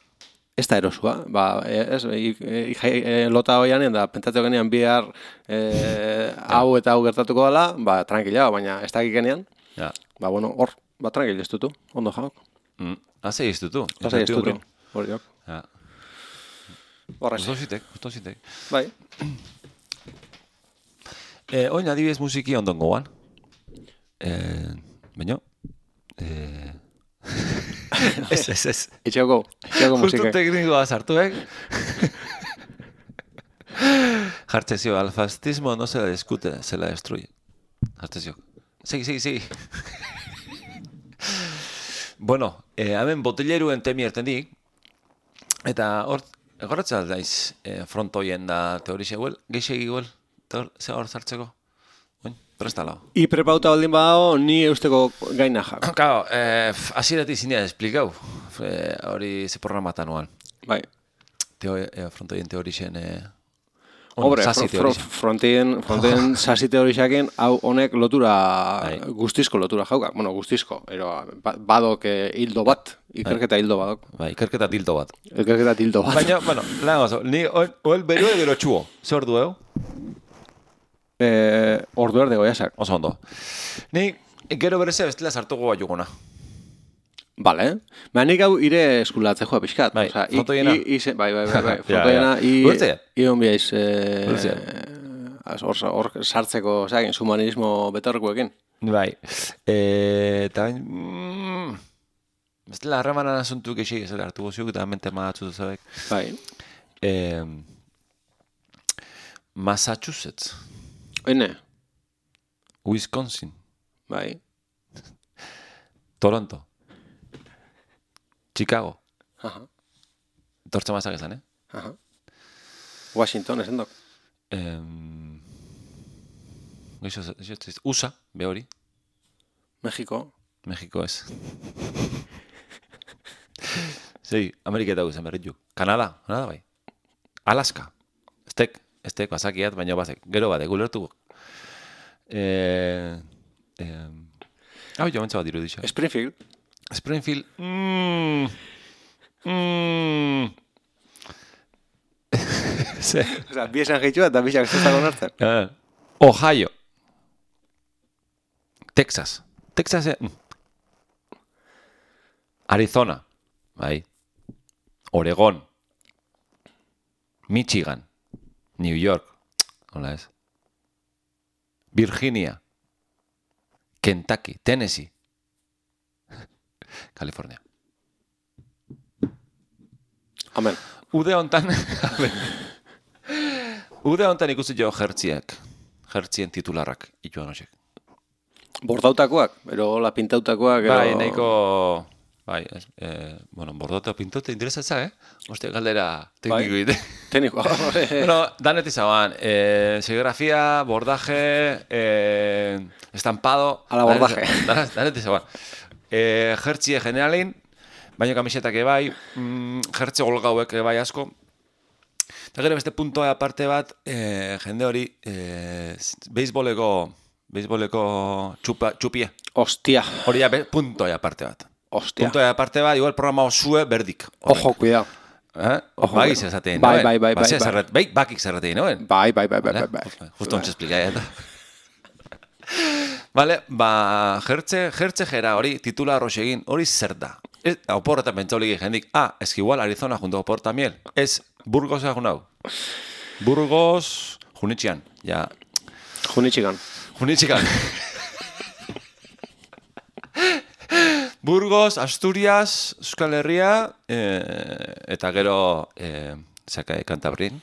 Ez da erosua. Ba, eh, ez, i, i, i, lota hoianen da, pentsatu genean bihar eh, hau eta hau gertatuko dela, ba, tranquila, baina ez dakik genean, Ja. ba, bueno, hor, ba, tranquil ez dutu, ondo jauk. Mm. Lasai ez dutu. Lasai ez dutu. incertidumbrin. Hori dok. Ja. Horrez. Gusto zitek, gusto zitek. Bai. Eh, oin adibidez musiki ondon goan. Eh, baina... Eh... ez, ez, ez. Itxeoko, itxeoko Justo musike. teknikoa sartuek. Jartzezio, al fascismo no se la discute, se la destruye. Jartzezio. Segi, segi, segi. Bueno, eh, hemen botelleruen temi ertendik, eta hor, egoratzea daiz eh, frontoien da teorixe guel, geixegi guel, ze hor zartzeko? Oin, prestala. I prepauta baldin badago, ni eusteko gaina jak. Claro, eh, asiratik zinea esplikau, eh, hori ze programatan nuan. Bai. Teo, eh, frontoien teorixen... Eh, Hombre, sasi fro, fro, teorixen. frontien, frontien sasi teorixakin, hau honek lotura, Bai. guztizko lotura jaukak. Bueno, guztizko, ero ba- badok eh, hildo bat, ikerketa hildo badok. Bai, ikerketa tilto bat. Ikerketa hildo bat. Baina, bueno, lan gozo, ni oel, oel berue gero txuo. Zer ordu eo? Eh, ordu erde goiasak. Oso ondo. Ni gero bereze bestela sartuko bat jugona. Vale. Ba, nik hau ire eskulatze joa pixkat. Bai, i- frontoiena. i- i- bai, bai, bai, bai. Ja, Frontoiena, ja. i... Ulertzea? I hon biaiz, Ulertzea? eh, hor, hor sartzeko, osea, humanismo betorrekuekin. Bai. E, eta bain... Mm, ez dela harremanan asuntu gexi, ez dela hartu goziuk, eta mente magatzu duzabek. Bai. E, Massachusetts. Oine. Wisconsin. Bai. Toronto. Chicago. Aha. Tortza mazak ezan, eh? Aha. Washington, esan dok. Em... Geixo, U S A, be hori. Mexiko. Mexiko ez. Zei, Ameriketa guzen berritu. Kanada, Kanada bai. Alaska. Estek, estek, bazakiat, baina bazek. Gero bade, gulertu. Eh, eh, hau jo, mentza bat diru dixo. Springfield. Springfield. Mm, mm. Ze. Osa, bi esan gehitxua eta bisak ez dago nartzen. Uh, Ohio. Texas. Texas. Eh? Arizona. Bai. Oregon. Michigan. New York. Hola ez. Virginia. Kentucky. Tennessee. California. Amen. Ude hontan, ude hontan ikusi jo jertziak, jertzien titularrak, ituan hosek. Bordautakoak, ero la pintautakoak, ero... Bai, nahiko, bai, eh, bueno, bordauta pintaute interesatza, eh? Oste, galdera tekniko bai. Ite. Tekniko. Bueno, danet izaban, eh, serigrafia, bordaje, eh, estampado... A la bordaje. Danet, danet izaban. Eh, jertzie generalin, baina kamisetak ebai, mm, jertze golgauek ebai asko. Eta gero beste puntoa aparte bat, eh, jende hori, eh, beisboleko, beisboleko txupa, txupie. Ostia. Hori ja, puntoa aparte bat. Ostia. Puntoa aparte bat, igual programa osue berdik. Ojo, cuidado. Eh? Ojo, Bagiz esatein, bai, bai, bai, bai, bai. Bai, bakik zerratein, noen? Bai, bai, bai, bai, bai, bai. Justo ontsa esplikai, eta. Vale, ba, jertze, jertze jera hori, titular egin, hori zer da? Ez, oporretan pentsaulik jendik, ah, ez que igual Arizona junto opor tamiel, ez Burgos egun hau. Burgos, Junitxian, ja. Junitxigan. Junitxigan. Burgos, Asturias, Euskal Herria, eh, eta gero, eh, zaka, Kantabrin.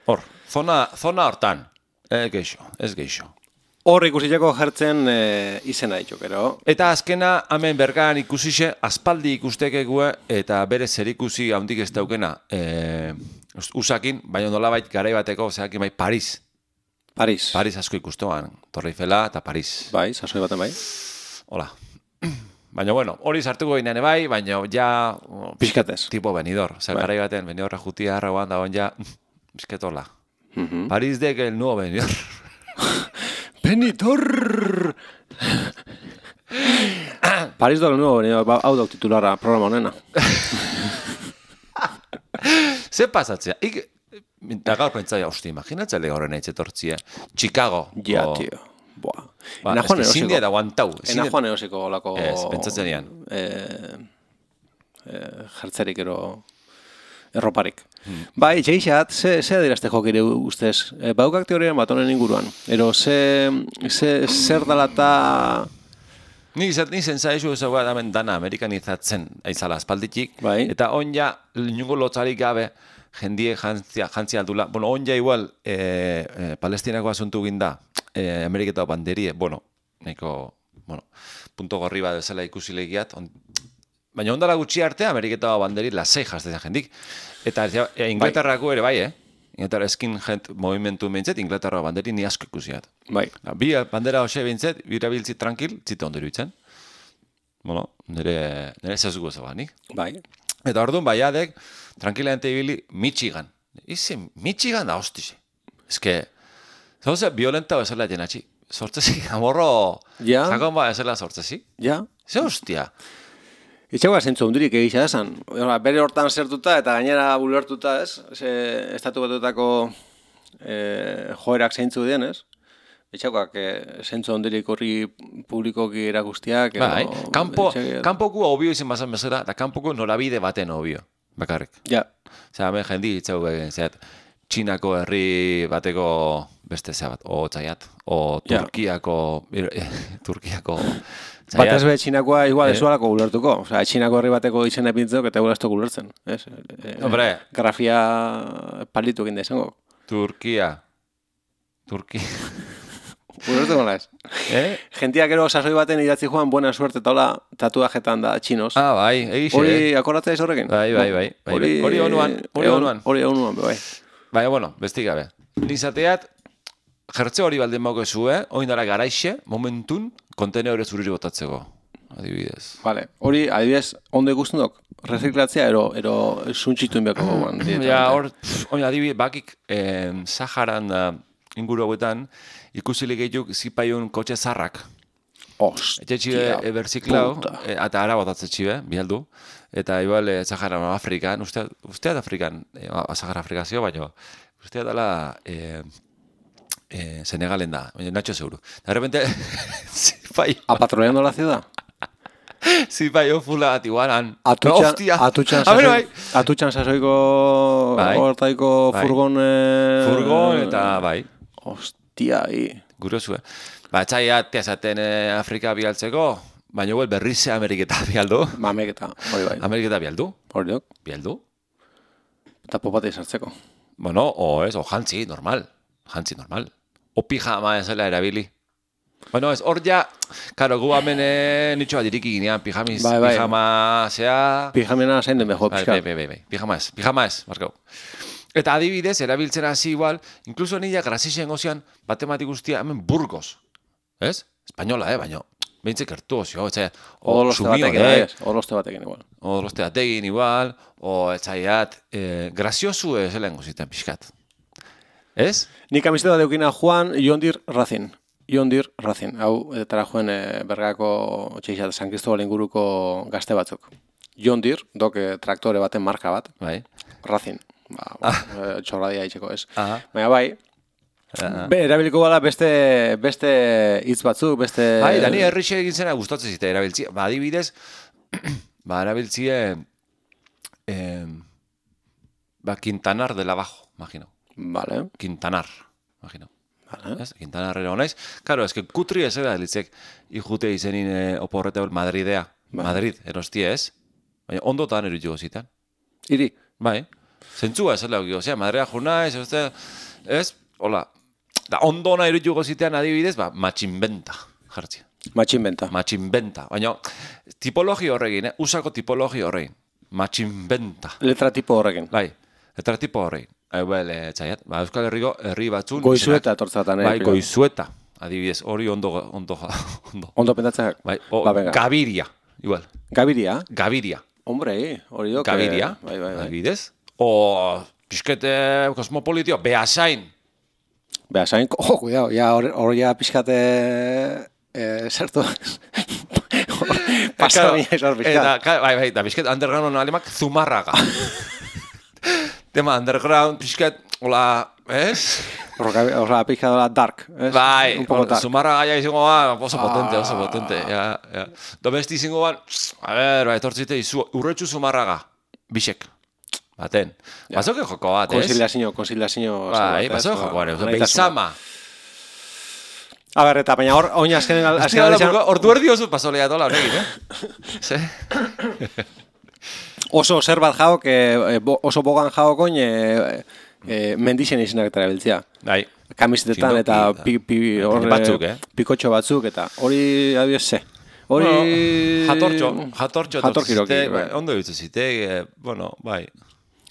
Hor, zona, zona hortan, eh, geixo, ez geixo. Hor ikusiteko jertzen e, izena ditu, gero. Eta azkena, hemen bergan ikusixe, aspaldi ikustekekue, eta bere zerikusi handik ez daukena, e, usakin, baina nolabait garai bateko, zeakin bai, Paris. Paris. Paris asko ikustoan, Torre Eiffela eta Paris. Bai, sasoi baten bai. Hola. Baina bueno, hori sartuko ginean bai, baina ja... Piskatez. Tipo benidor. Zer, bai. Garai baten, benidorra jutia, arrauan dagoen ja, pisketola. Uh -huh. Paris dek el nuevo benidor. Benidorr! Paris do el nuevo benidor, hau dauk titularra programa honena. Ze pasatzea? Ik, eta gaur pentsaia, hosti, imaginatzele horren eitzetortzia. Chicago. Ja, o... tio. Boa. Ba, ena joan eusiko. Zindia da guantau. Ena joan eusiko lako... Ez, pentsatzen dian. Eh, eh, jertzerik ero... Erroparik. Hmm. Bai, txeixat, ze, ze adirazte jokire ustez? E, baukak teorian bat honen inguruan. Ero, ze, ze zer dalata... Ni zen zaizu ez hau damen dana amerikanizatzen aizala aspalditik. Bai. Eta on ja, niongo lotzarik gabe, jendie jantzia, jantzia aldula. Bueno, on ja igual, e, e, palestinako asuntu ginda, e, Ameriketa banderie, bueno, neko, bueno, punto gorri bat bezala ikusi legiat, on, baina ondala gutxi arte Ameriketa banderi lasei jaztezen jendik. Eta e, Inglaterrako ere bai, eh? Inglaterra skinhead movimentu behintzet, Inglaterra banderi ni asko ikusiat. Bai. Bi bandera hoxe behintzet, birabiltzi tranquil, zite ondo iruditzen. Bueno, nire, nire zezugu zaba, nik. Bai. Eta orduan baiadek, tranquilamente ibili, Michigan. Ize, Michigan da hostize. Ez que, zauze, violenta bezala jenatxi. Sortzezi, amorro, ja. Sakon ba bezala sortzezi. Ja. Ze hostia. Itxagoa zentzu hundurik egisa esan. Bere hortan zertuta eta gainera bulertuta ez, ze estatu batutako e, joerak zeintzu dien ez. Itxagoak e, zentzu hundurik horri publikoki erakustiak. Bai, kanpo, kanpoku obio izan bazan bezala, eta kanpoko norabide baten obio, bakarrik. Ja. Osea, hemen jendi itxago egin, zeat, Txinako herri bateko beste zea bat, o txaiat, o Ja. Turkiako, Turkiako Bat ez txaiat. be txinakoa igual Eh? ez dualako gulertuko. Osea, txinako herri bateko izena epintzeko eta igual ez dugu gulertzen. Ez? Eh, Hombre. Grafia palitu egin da izango. Turkia. Turkia. Gulertu gola ez. Eh? Gentia gero sasoi baten idatzi joan buena suerte eta hola tatuajetan da txinos. Ah, bai, egixe. Hori akordatzea ez horrekin? Bai, bai, bai, bai, bai. Hori onuan, hori egon- onuan. Hori onuan, bai. Baina, bueno, bestik gabe. Nizateat, jertze hori baldin mauke zu, eh? Oin dara garaixe, momentun, kontenedore zuriri botatzeko. Adibidez. Vale. Hori, adibidez, ondo ikusten dok? Reziklatzea, ero, ero suntxitu inbeko gogoan. Ja, hor, pff, oin adibidez, bakik, eh, Saharan uh, inguru hauetan, ikusilik eituk zipaiun kotxe zarrak. Ostia, Etxe txibe berziklau, puta. e, eta ara botatze txibe, bialdu. Eta igual, e, Saharan Afrikan, uste, usteat Afrikan, e, Sahara Afrikazio, baina usteat dela e, e, Senegalen da, baina Nacho zeuru. De repente, zipaio, Apatrullando la ciudad? zipaio fula bat igualan. Atutxan, Hostia. atutxan, A ver, sasoi, bai. atutxan sasoiko Bai. hortaiko Bai. furgon... Eh, Furgon eta bai, Hostia, i. gurozu, eh. Ba, txaiat, teazaten e, Afrika bialtzeko, baina igual berrize Ameriketa bialdu. Mamek eta, hori bai. Ameriketa bialdu, Hori dok, bialdu. eta popate izartzeko. Bueno, o ez, o jantzi, normal. Jantzi, normal. O pijama ezela erabili. Bueno, ez, hor ja, karo, gu hemen eh, nitxo bat iriki ginean, pijamiz, Bai, bai. pijama, zea... Pijamena zain den beho, Bai, pixka. bai, bai, bai, bai, pijama ez, pijama ez, markau. Eta adibidez, erabiltzen hasi igual, inkluso nila grazixen gozian, batematik guztia, hemen Burgos. Ez? Espainola, eh, baina, behintzek ertu ozio, etxai, o Odoloste batekin, bai, sumion, ez? Odoloste batekin igual. o doloste batekin igual, o etxaiat, eh, graziosu ez helen goziten pixkat. Ez? Nik amizeta deukina Juan Jondir Racing. Jondir Racing. Hau, etara joen e, bergako txeixat San Cristobal inguruko gazte batzuk. Jondir, dok e, traktore baten marka bat. Bai. Racing. Ba, ba, e, txorradia itxeko ez. Aha. Baina bai, Aha. be, erabiliko bala beste beste hitz batzuk, beste... Bai, da ni herrixe egin zena gustatzen zita erabiltzia. Ba, adibidez, ba, erabiltzie, eh, ba, Quintanar de la Bajo, imagino. Vale, Quintanar, imagino. vale. Ez? Quintanarrera honaiz. Karo, ez que kutri ez era litzek ikute izenin eh, oporrete Madridea. Bai. Madrid, erostie ez. Baina ondotan erutuko zitan. Iri. Bai. Zentzua ez lehuk, osea, Madridea jurnaiz, ez, ez, hola. Da, ondona erutuko zitean adibidez, ba, matxinbenta, jartzia. Matxinbenta. Matxinbenta. Baina, tipologi horregin, eh? Usako tipologi horregin. Matxinbenta. Letra tipo horrekin. Bai, eta tipo horregin. Hau bel, e, txaiat. Ba, Euskal Herriko herri batzun. Goizueta izenak- etortzatan. Bai, goizueta. Adibidez, hori ondo, ondo, ondo. Ondo pentatzeak. Bai, o, Ba, venga. Gaviria, igual. Gabiria. Gaviria. Hombre, hori dok. Gaviria, eh, Bai, bai, bai. adibidez. O, pixkete kosmopolitio, Beasain. Beha, zain, oh, cuidado, ya hor, hor ya pixkate, eh, zertu, pasar niña izan Eta, pixkat. ka- bai, bai, da pixket underground alemak Zumarraga. Tema underground, pixket, hola, ez? Horra, pixka dola dark, ez? Bai, Un poco dark. Zumarraga ja izango ba, oso potente, oso Ah. potente. Ja, ja. Domesti izango ban, a ver, bai, etortzite izu, urretxu Zumarraga, bisek. Baten. Ja. Bazoke joko bat, ez? Konziliazio, konziliazio. Bai, bazoke joko bat, ez? Beizama. A ber, eta baina hor, oin azkenen, Azken azkenen ala, aldizan, ordu erdi oso pasolea dola horregin, eh? Ze? oso zer bat jaok, eh, bo- oso bogan jaokoin, eh, eh, mendixen izenak eta erabiltzea. Bai. Kamisetetan Txindoki eta eta- pi, pi, hor, batzuk, eh? pikotxo batzuk, eta hori, adibidez, ze. Hori... Bueno, jatortxo, jatortxo. Jatorkiroki, etortzite, bai. Ondo ditzu zite, eh, bueno, bai.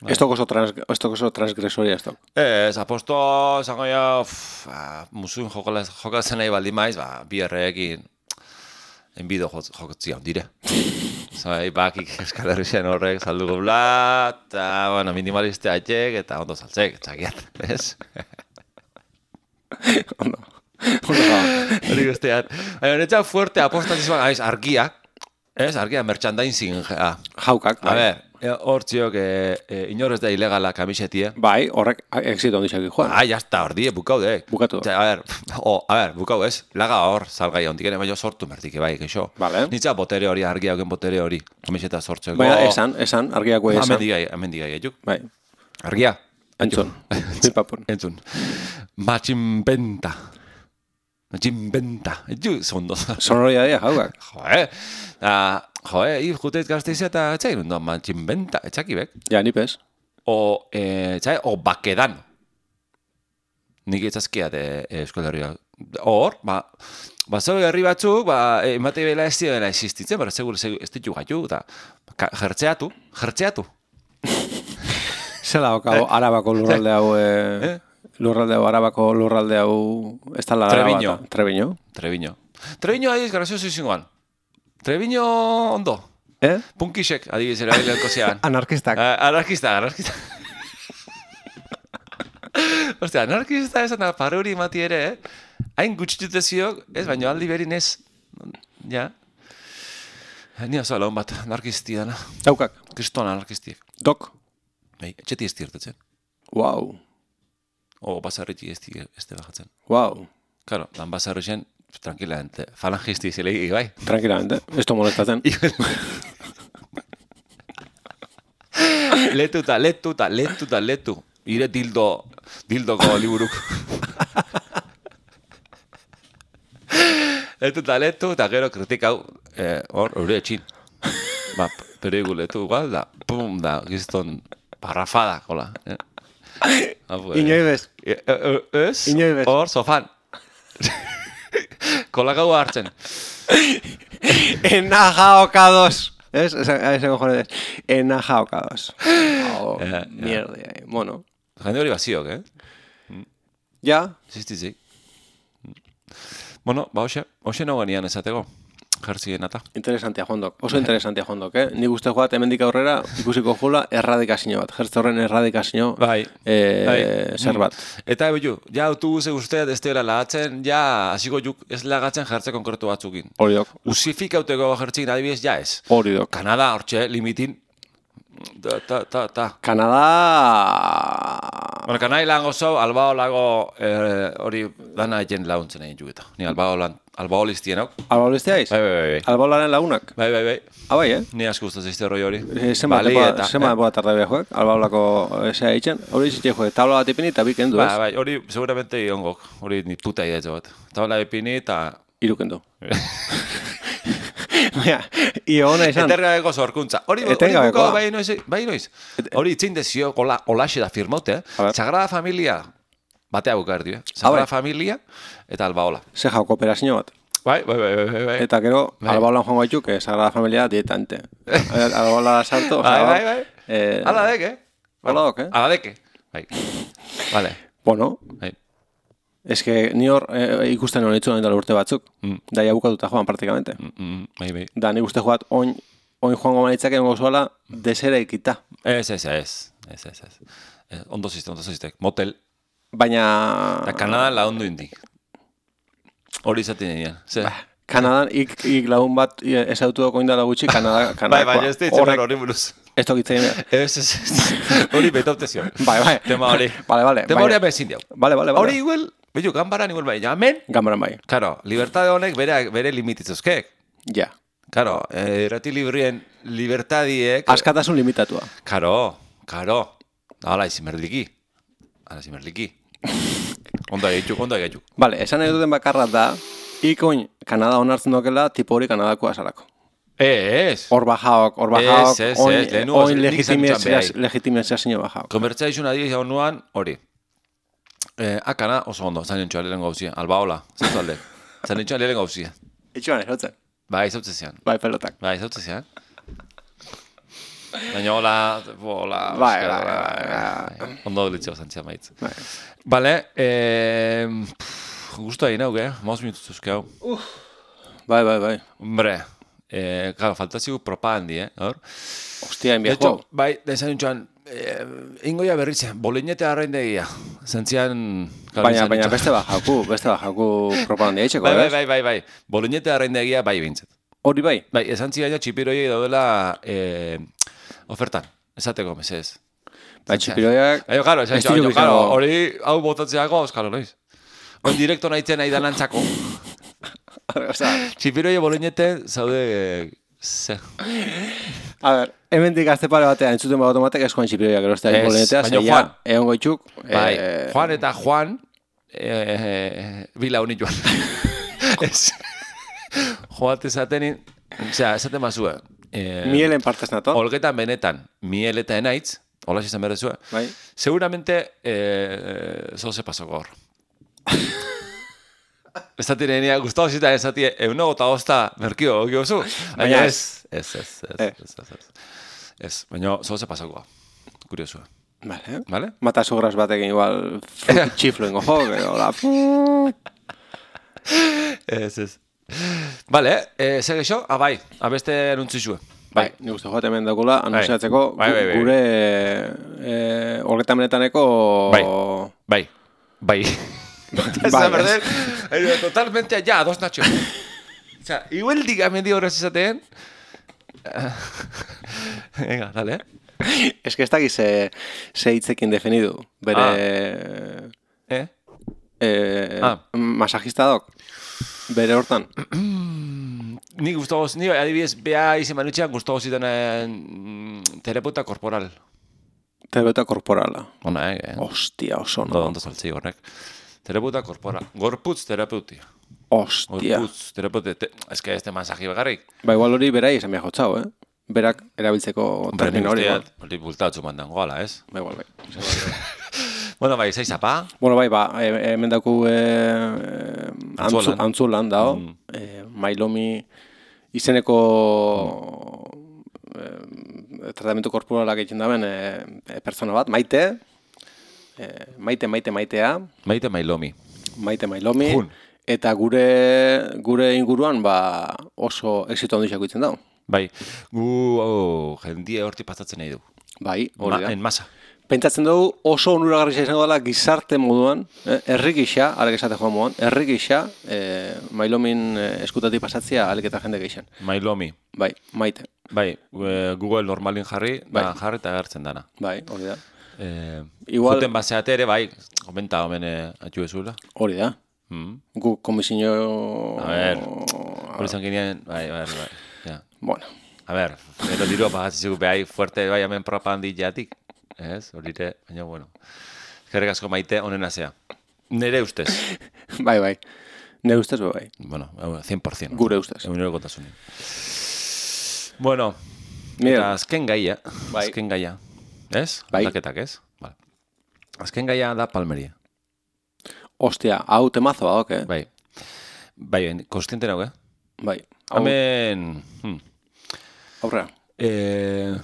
Ez toko oso, trans, ez toko oso transgresoria ez toko. Ez, aposto, zango ja, uff, ba, musuin jokalaz- jokatzen nahi baldin maiz, ba, bi erreekin, enbido jokotzia ondire. Zai, bakik Euskal Herrixen horrek salduko bla, eta, bueno, minimaliste atxek, eta ondo saltzek, txakiat, ez? Ondo. Ondo gaur. Hori guztiat. Baina, netxak fuerte apostatizuan, aiz, argia, ez, argia, merchandising, ja. Jaukak, A bai. ber, e, hor txiok, e, e, inor ez da ilegala kamisetie. Bai, horrek exito ondixak joan. Ah, ya está, hor die, bukau de. Bukatu. Osea, a ver, o, a ver, bukau ez, laga hor, salgai ondik ere, baina sortu mertik, bai, keixo. Vale. Nitza botere hori, argia hauken botere hori, kamiseta sortzeko. Baina esan, esan, argiako esan. Amendigai, amendigai, ejuk. Bai. Argia, Entzun, pipapun. Entzun. Matximbenta. Matximbenta. Etxu, zondo. Sonoria dia, jaukak. Joe, da, joe, hir jutez gazteizea eta etxai nundo, matximbenta, etxakibek. Ja, nipez. O, eh, etxai, o bakedan. Nik etzazkia de Euskal Herria. Hor, ba, ba, zeu herri batzuk, ba, emate bela ez dira existitzen, bara, segur, segur, ez ditu gaitu, eta jertzeatu, jertzeatu. Zela okau, arabako lurralde hau, eh? Lurralde hau, arabako lurralde hau, ez tala Treviño. Araba, Treviño. Treviño. Treviño adiz, grazioso izingoan. Treviño ondo. Eh? Punkisek, adiz, erabileko zean. Anarkistak. Uh, anarkista, anarkista. Ostia, anarkista esan da paruri mati ere, eh? Hain gutxitute ziok, ez, baina aldi berin ez. Ja. Ni oso laun bat, anarkisti dana. Daukak. Kriston anarkistiek. Dok. Bai, etxeti ez tirtetzen. Wow. O, basarriti ez di ez te bajatzen. Wow. Claro, dan basarrixen, tranquilamente, falangisti zelegi, bai. Tranquilamente, ez to molestatzen. Letuta, letuta, letuta, letu. Ire dildo, dildoko liburuk. Letuta, letu, eta gero kritikau, eh, hor, hori etxin. Ba, perigu letu igual, da, pum, da, gizton, parrafada, hola. Eh? Inoi bez. Ez? Inoi bez. Hor, sofan. Kolakau hartzen. Enajaokados. Ez? Ese cojones. Enajaokados. Oh, Eh, mierda. Bueno. Jende hori baziok, eh? Ja. Zistizik. Bueno, ba, hoxe, hoxe no genian esateko. Jertzien eta. Interesantia jondok. Oso interesantia jondok, eh? Nik uste joat hemendik aurrera ikusiko jula erradikazio bat. Jertze horren erradikazio Bai. eh, Bai. zer bat. Eta ebilu, ja autobuse usteat ez dela lagatzen, ja hasiko juk ez lagatzen jertze konkretu batzukin. Hori dok. Usifikauteko jertzik adibidez, ja ez. Hori dok. Kanada, hortxe, limitin. Ta, ta, ta, ta. Kanada... Bueno, kanai lan gozo, albao lago eh, hori dana egen launtzen egin jugeta. Ni albao lan, albao listien hau. Alba olizteaiz? Bai, bai, bai. Albaolaren lagunak? Bai, bai, bai. Ah, bai, eh? Ni asko gustaz izte roi hori. Eh, Zema Balei eta, Zema eh? boa tarda behoek, albaolako esea eitzen. Hori izitxe joek, tabla bat ipini eta bikendu, Ba, ez? bai, hori seguramente ongok. Hori ni puta idea bat. Tabla epini eta... Irukendu. Baina, io hona izan. Etengabeko sorkuntza. Hori, hori Etengabekoa. bukau, bai noiz, bai noiz. Hori itzin dezio, hola, holaxe da firmote, A eh? ver. Sagrada Familia, batea bukar dio, eh? Sagrada bai. Familia eta albaola. Ze jau kooperazio bat. Bai, bai, bai, bai, bai. Eta gero, Bai. albaolan joango ditu, que Sagrada Familia dietante. Albaola sartu, Bai, bai, bai. Eh, Ala deke. Ala dok, eh? Ala deke. Bai. Vale. Bueno, Bai. es que ni hor eh, ikusten hon itzu dela urte batzuk. Mm. Da ja bukatuta joan praktikamente. Mm, mm, bai, bai. Da nik uste joat oin, oin joango manitzak egongo zuela desera ikita. Ez, ez, ez. Ez, ez, ez. Ez, Ondo ziste, ondo ziste. Motel. Baina... Eta Kanadan laundu indik. Hori izaten egin. Ze? Kanadan ik, ik lagun bat ezautu doko indala gutxi, Kanada, Bai, Kanadakoa. bai, ez ditzen hori buruz. Ez tokitzen. Ez, ez, ez. Hori betaute zion. Bai, bai. Tema hori. Vale, vale. Tema hori baina- abezin diau. Vale, vale, vale. Hori igual, bello, gambaran igual bai. Amen, Gambaran bai. claro, libertade honek bere, bere limititzozkek. Ja. Claro, eh, irrati librien libertadiek... Askatasun limitatua. Karo, karo. Hala, izimerliki. Hala, izimerliki. Ondo egitxuk, ondo egitxuk. Vale, esan nahi duten bakarra da, ikoin Kanada onartzen dokela, tipo hori Kanadakoa salako. Ez. Hor bajaok, hor bajaok, Ez, ez, oin, ez, lehenengo oin nik legitimizazio zentzan legitimizazio bajaok. Konbertsaizun adiz hau nuan, hori. Eh, akana oso ondo, zain entxoa lehen gauzia. Albaola, zaitu alde. Zain entxoa lehen gauzia. Itxuan, ezotzen. Bai, zautze zian. Bai, pelotak. Bai, zautze zian. Baina hola, hola, Bai, euskara, bai, bai, bai. Ondo delitzeo zantzia maitz. Bai. Bale, eh, gustu egin hau, eh? Maus minutuz euske hau. Bai, bai, bai. Hombre, eh, claro, faltazigu propagandi, eh? Hor? Hostia, De hecho, enbiajo. bai, desan intxoan, eh, ingoia berritzen, bolinete arraindegia. Zentzian... Baina, baina beste bajaku, beste bajaku propagandia itxeko, Bai, bai, ez? bai, bai, bai. Bolinete arraindegia bai bintzet. Hori bai. Bai, esan zigaina txipiroiei daudela eh, ofertan. Esateko, mesez. Bai, txipiroiak... Aio, karo, esan Ez txan, ditu karo, bizango. hori hau botatzeako, euskalo, noiz. Hori direkto nahitzen nahi danantzako. Osea, Txipiroi bolinete zaude, eh, Zer. A ber, hemendik azte pare batean entzuten bat automatek ez Juan Txipirioia gero ez da inbolenetea, baina Juan. Egon goitxuk. Bai, Juan eta Juan eh, bila honi joan. Ez. Joat esatenin, osea, esaten mazue. Eh, Mielen partez nato. Olgetan benetan, miel eta enaitz, hola izan berrezue. Bai. Seguramente, eh, zoze paso gaur. Ez da tirenia, gustavo zita ez da tire, euno gota gozta merkio, giozu. Baina ez, ez, ez, ez, ez, ez, ez. Ez, baina zoze paso gaur. Kuriosua. Vale. Vale? Mata sogras batekin igual txiflo ingo jo, hola. Ez, ez. Vale, eh, zer geixo? Ah, bai, abeste anuntzizue. Bai, nik uste joate hemen dakula, anuntziatzeko gure horretan benetaneko... Bai, bai, bai. Bai, perder, totalmente allá, dos Nacho. O sea, igual dígame, digo, horrez izateen. Venga, dale, eh. Es que ez dakiz ze hitzekin definidu. Bere... Ah. Eh? Eh, ah. Masajista dok. Bere hortan. Ni gustagoz, ni adibidez, bea izen manutxean gustagoz zidan terapeuta korporal. Terapeuta korporala. Ona, eh? Ostia, oso no. Ondo saltzi horrek. Terapeuta korporal. Gorputz terapeuti. Ostia. Gorputz terapeuti. Te... Ez que ez te masaji begarrik. Ba, igual hori berai esan behar jotzau, eh? Berak erabiltzeko termino hori. Hori bultatzu mandan goala, ez? Ba, igual, bai. Bueno, bai, zaiz apa? Bueno, bai, ba, hemen daku eh, antzulan. antzulan dao. Mm. Eh, Mailomi izeneko mm. eh, tratamentu korporalak egiten daben eh, pertsona bat, Maite. Eh, maite, maite, maitea. Maite Mailomi. Maite Mailomi. Jun. Eta gure gure inguruan ba, oso exito handixako itzen dago. Bai, gu oh, jendie horti pasatzen nahi du. Bai, hori da. Ma, en masa. Pentsatzen dugu oso onuragarria izango dela gizarte moduan, eh, herri gisa, arek esate joan moduan, herri gisa, eh, Mailomin eh, eskutatik pasatzea alik eta jende geixan. Mailomi. Bai, Maite. Bai, Google normalin jarri, bai. Da jarri eta agertzen dana. Bai, hori da. Eh, Igual... Juten baseate ere, bai, komenta homen eh, atxu ezula. Hori da. Mm. Gu komisio... A ver, hori izan ginean, bai, bai, bai. Ja. Bueno. A ver, gero dirua pagatzizuk behai fuerte, bai, hemen propagandi jatik. Ez, horire, baina, bueno. Gerrek asko Maite, onena zea. Nere ustez. Bai, bai. Nere ustez, bai. Bueno, cien por ciento. Gure ustez. Egunero kontasunin. Bueno, Mira. Eta azken gaia. Bai. Azken gaia. Ez? Bai. Aldaketak, ez? Vale. Azken gaia da Palmeria. Ostia, hau temazo badok, eh? Bai. Bai, konstiente nago, eh? Bai. Hau... Hemen... Hmm. Aurrea. Eh...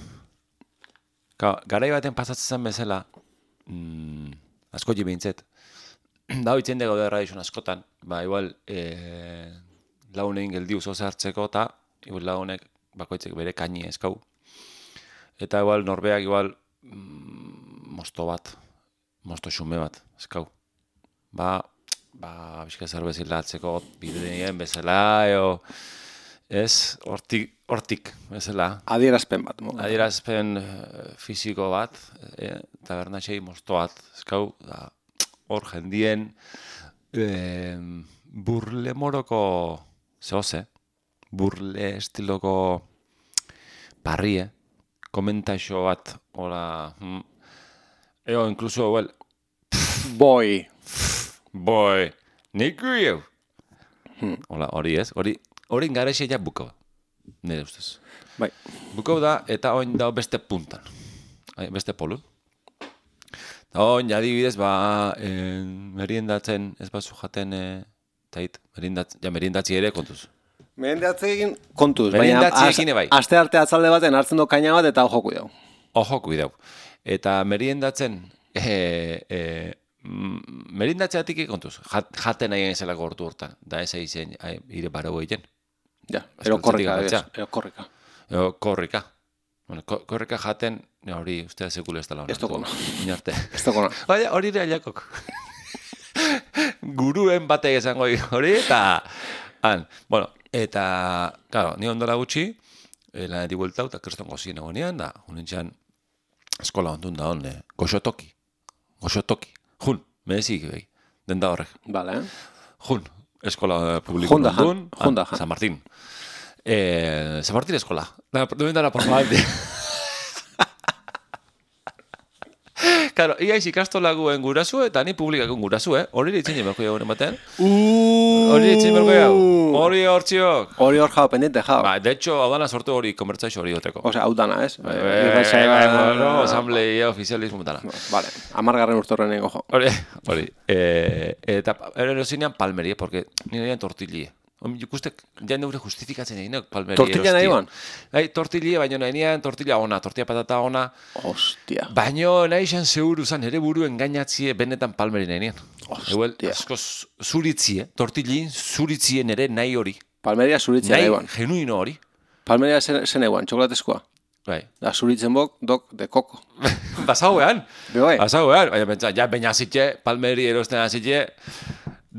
Garai baten pasatzen zen bezala, mm, asko jibintzet, da hoitzen dugu da erradizun askotan, ba, igual, e, launein geldiu zoze hartzeko, eta igual launek bakoitzek bere kaini eskau. Eta igual norbeak igual mm, mosto bat, mosto xume bat eskau. Ba, ba, bizka zer bezala atzeko bideen bezala, eo, ez, hortik, hortik, bezala. Adierazpen bat. Mo. Adierazpen fisiko bat, eh, tabernatxei mosto bat, eskau, da, hor jendien eh, burle moroko, zehoze, burle estiloko parrie, komentaixo bat, hola, mm, eo, inkluso, well, boi, boi, nik guiu, hola, hori ez, hori, hori ingarexia ja bukau, nire ustez. Bai. Bukau da, eta oin da beste puntan, beste polun. Eta oin, adibidez, ba, eh, meriendatzen, ez bazu jaten, eh, tait, meriendatzen, ja, meriendatzi ere kontuz. Meriendatzeekin kontuz, Meriendatzeekin bai. Aste arte atzalde baten hartzen du kaina bat eta ojo kuidau. Ojo kuidau. Eta meriendatzen, eh, eh, meriendatzeatik kontuz, Jat, jaten nahi zela gortu hortan, da ez eizen, ire barau egin. Ja, ero korrika, ero korrika. Ero korrika. Bueno, korrika jaten, hori, ustea sekule ez dela hona. Ez tokona. Inarte. Ez tokona. Baina, hori ere aliakok. Guruen batek esango hori, eta... Han, bueno, eta... Claro, ni ondora gutxi, lanetik bueltau, eta kriston gozien egonean, da, unintxan, eskola ondun da hon, goxotoki. Goxotoki. Jun, merezik, behi, den da horrek. Vale. Jun, eskola publiko ondun, Junda, San Martín. Eh, Zapartir eskola. Da, duendara, por favor. Claro, iaiz ikastolaguen gurasu eta ni publikakun gurasu, eh? Hori ditzen jemerko jagoen ematen. Hori ditzen jemerko jagoen. Hori hortziok. Hori hor jau, pendiente jau. Ba, de hecho, hau dana sortu hori konbertsaixo hori goteko. Osea, hau dana, ez? Bueno, asambleia ofizialismo dana. Vale, amargarren urtorren ego jo. Hori, hori. Eta erosinean palmeri, porque nire egin tortillie. Ikustek, ja neure justifikatzen egin, palmeri erosti. Tortilla nahi ban? Bai, tortillie, baina nahi tortilla ona, tortilla patata ona. Hostia. Baina nahi izan seguru zan, ere buru engainatzie benetan palmeri nahi nien. Eguel, asko zuritzie, tortillin zuritzie nere nahi hori. Palmeria zuritzea nahi ban. Nahi, genuino hori. Palmeria zen eguan, txokolatezkoa. Bai. Da zuritzen bok, dok, de koko. Basauean. Bai. Basauean. Baina pentsa, ja baina zitxe, palmeri erosten azitxe.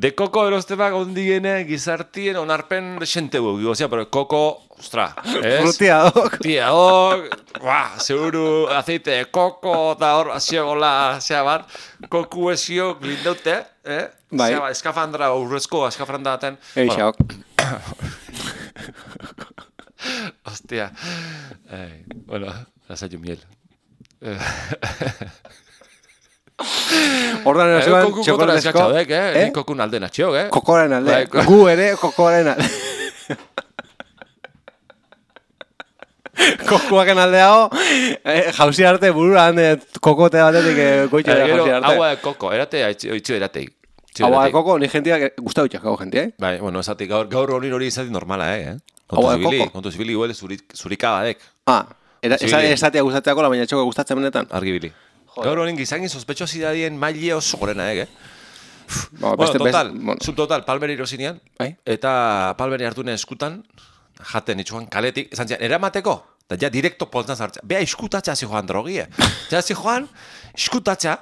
De koko erostebak ondigene gizartien onarpen xente bugi. Osea, pero koko, ostra, ez? Frutia dok. Frutia dok. Buah, seguru aceite de koko, eta hor, aziogola, zea bat, koku esio glindaute, eh? Bai. Zea bat, eskafandra, urrezko eskafandra daten. Eixaok. Hostia. Ay, bueno, lasaio miel. Ordan erosean txokolatezko. Eh? Ni kokun alden atxiok, eh? Kokoren alde. Gu ere kokoren alde. Kokuaken aldeago, eh, jauzi arte burura hande kokote batetik goitxe da jauzi arte. Agua de koko, erate, itxio erateik. Agua de koko, ni jentia, gustau itxak hau jentia, eh? Bai, bueno, esatik gaur, gaur hori hori izatik normala, eh? Agua de koko. Kontu zibili, huele zurikabadek. Ah, esatia gustatzeako, baina txoko gustatzen benetan. Argibili. Gaur horin gizangin sospetxosidadien maile oso gorena, eh? Ba, Bueno, beste, total, beste, bueno. subtotal, palmeri irosinean, Bai. eta palmeri hartune eskutan, jaten itxuan kaletik, esan zian, eramateko, eta ja direkto poltzan zartza. Bea, iskutatza zi joan drogie. Ja, zi joan, iskutatza,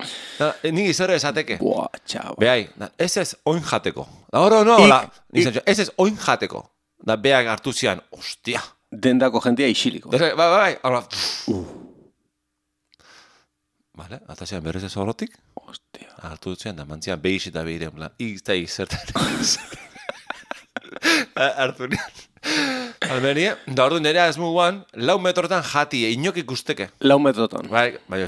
nik izero esateke. Buah, txau. Behai, ez ez oin jateko. Da hori, no, hola, ez ez oin jateko. Da beak hartu zian, ostia. Dendako jentia isiliko. Bai, bai, bai, hola. Vale, eta zian berrez ez horrotik. Ostia. Hartu zian, da mantzian behiz eta behiren, plan, izta izertan. Hartu nian. Almenia, da ordu nerea ez muguan, lau metrotan jati, inok ikusteke. Lau metrotan. Bai, bai,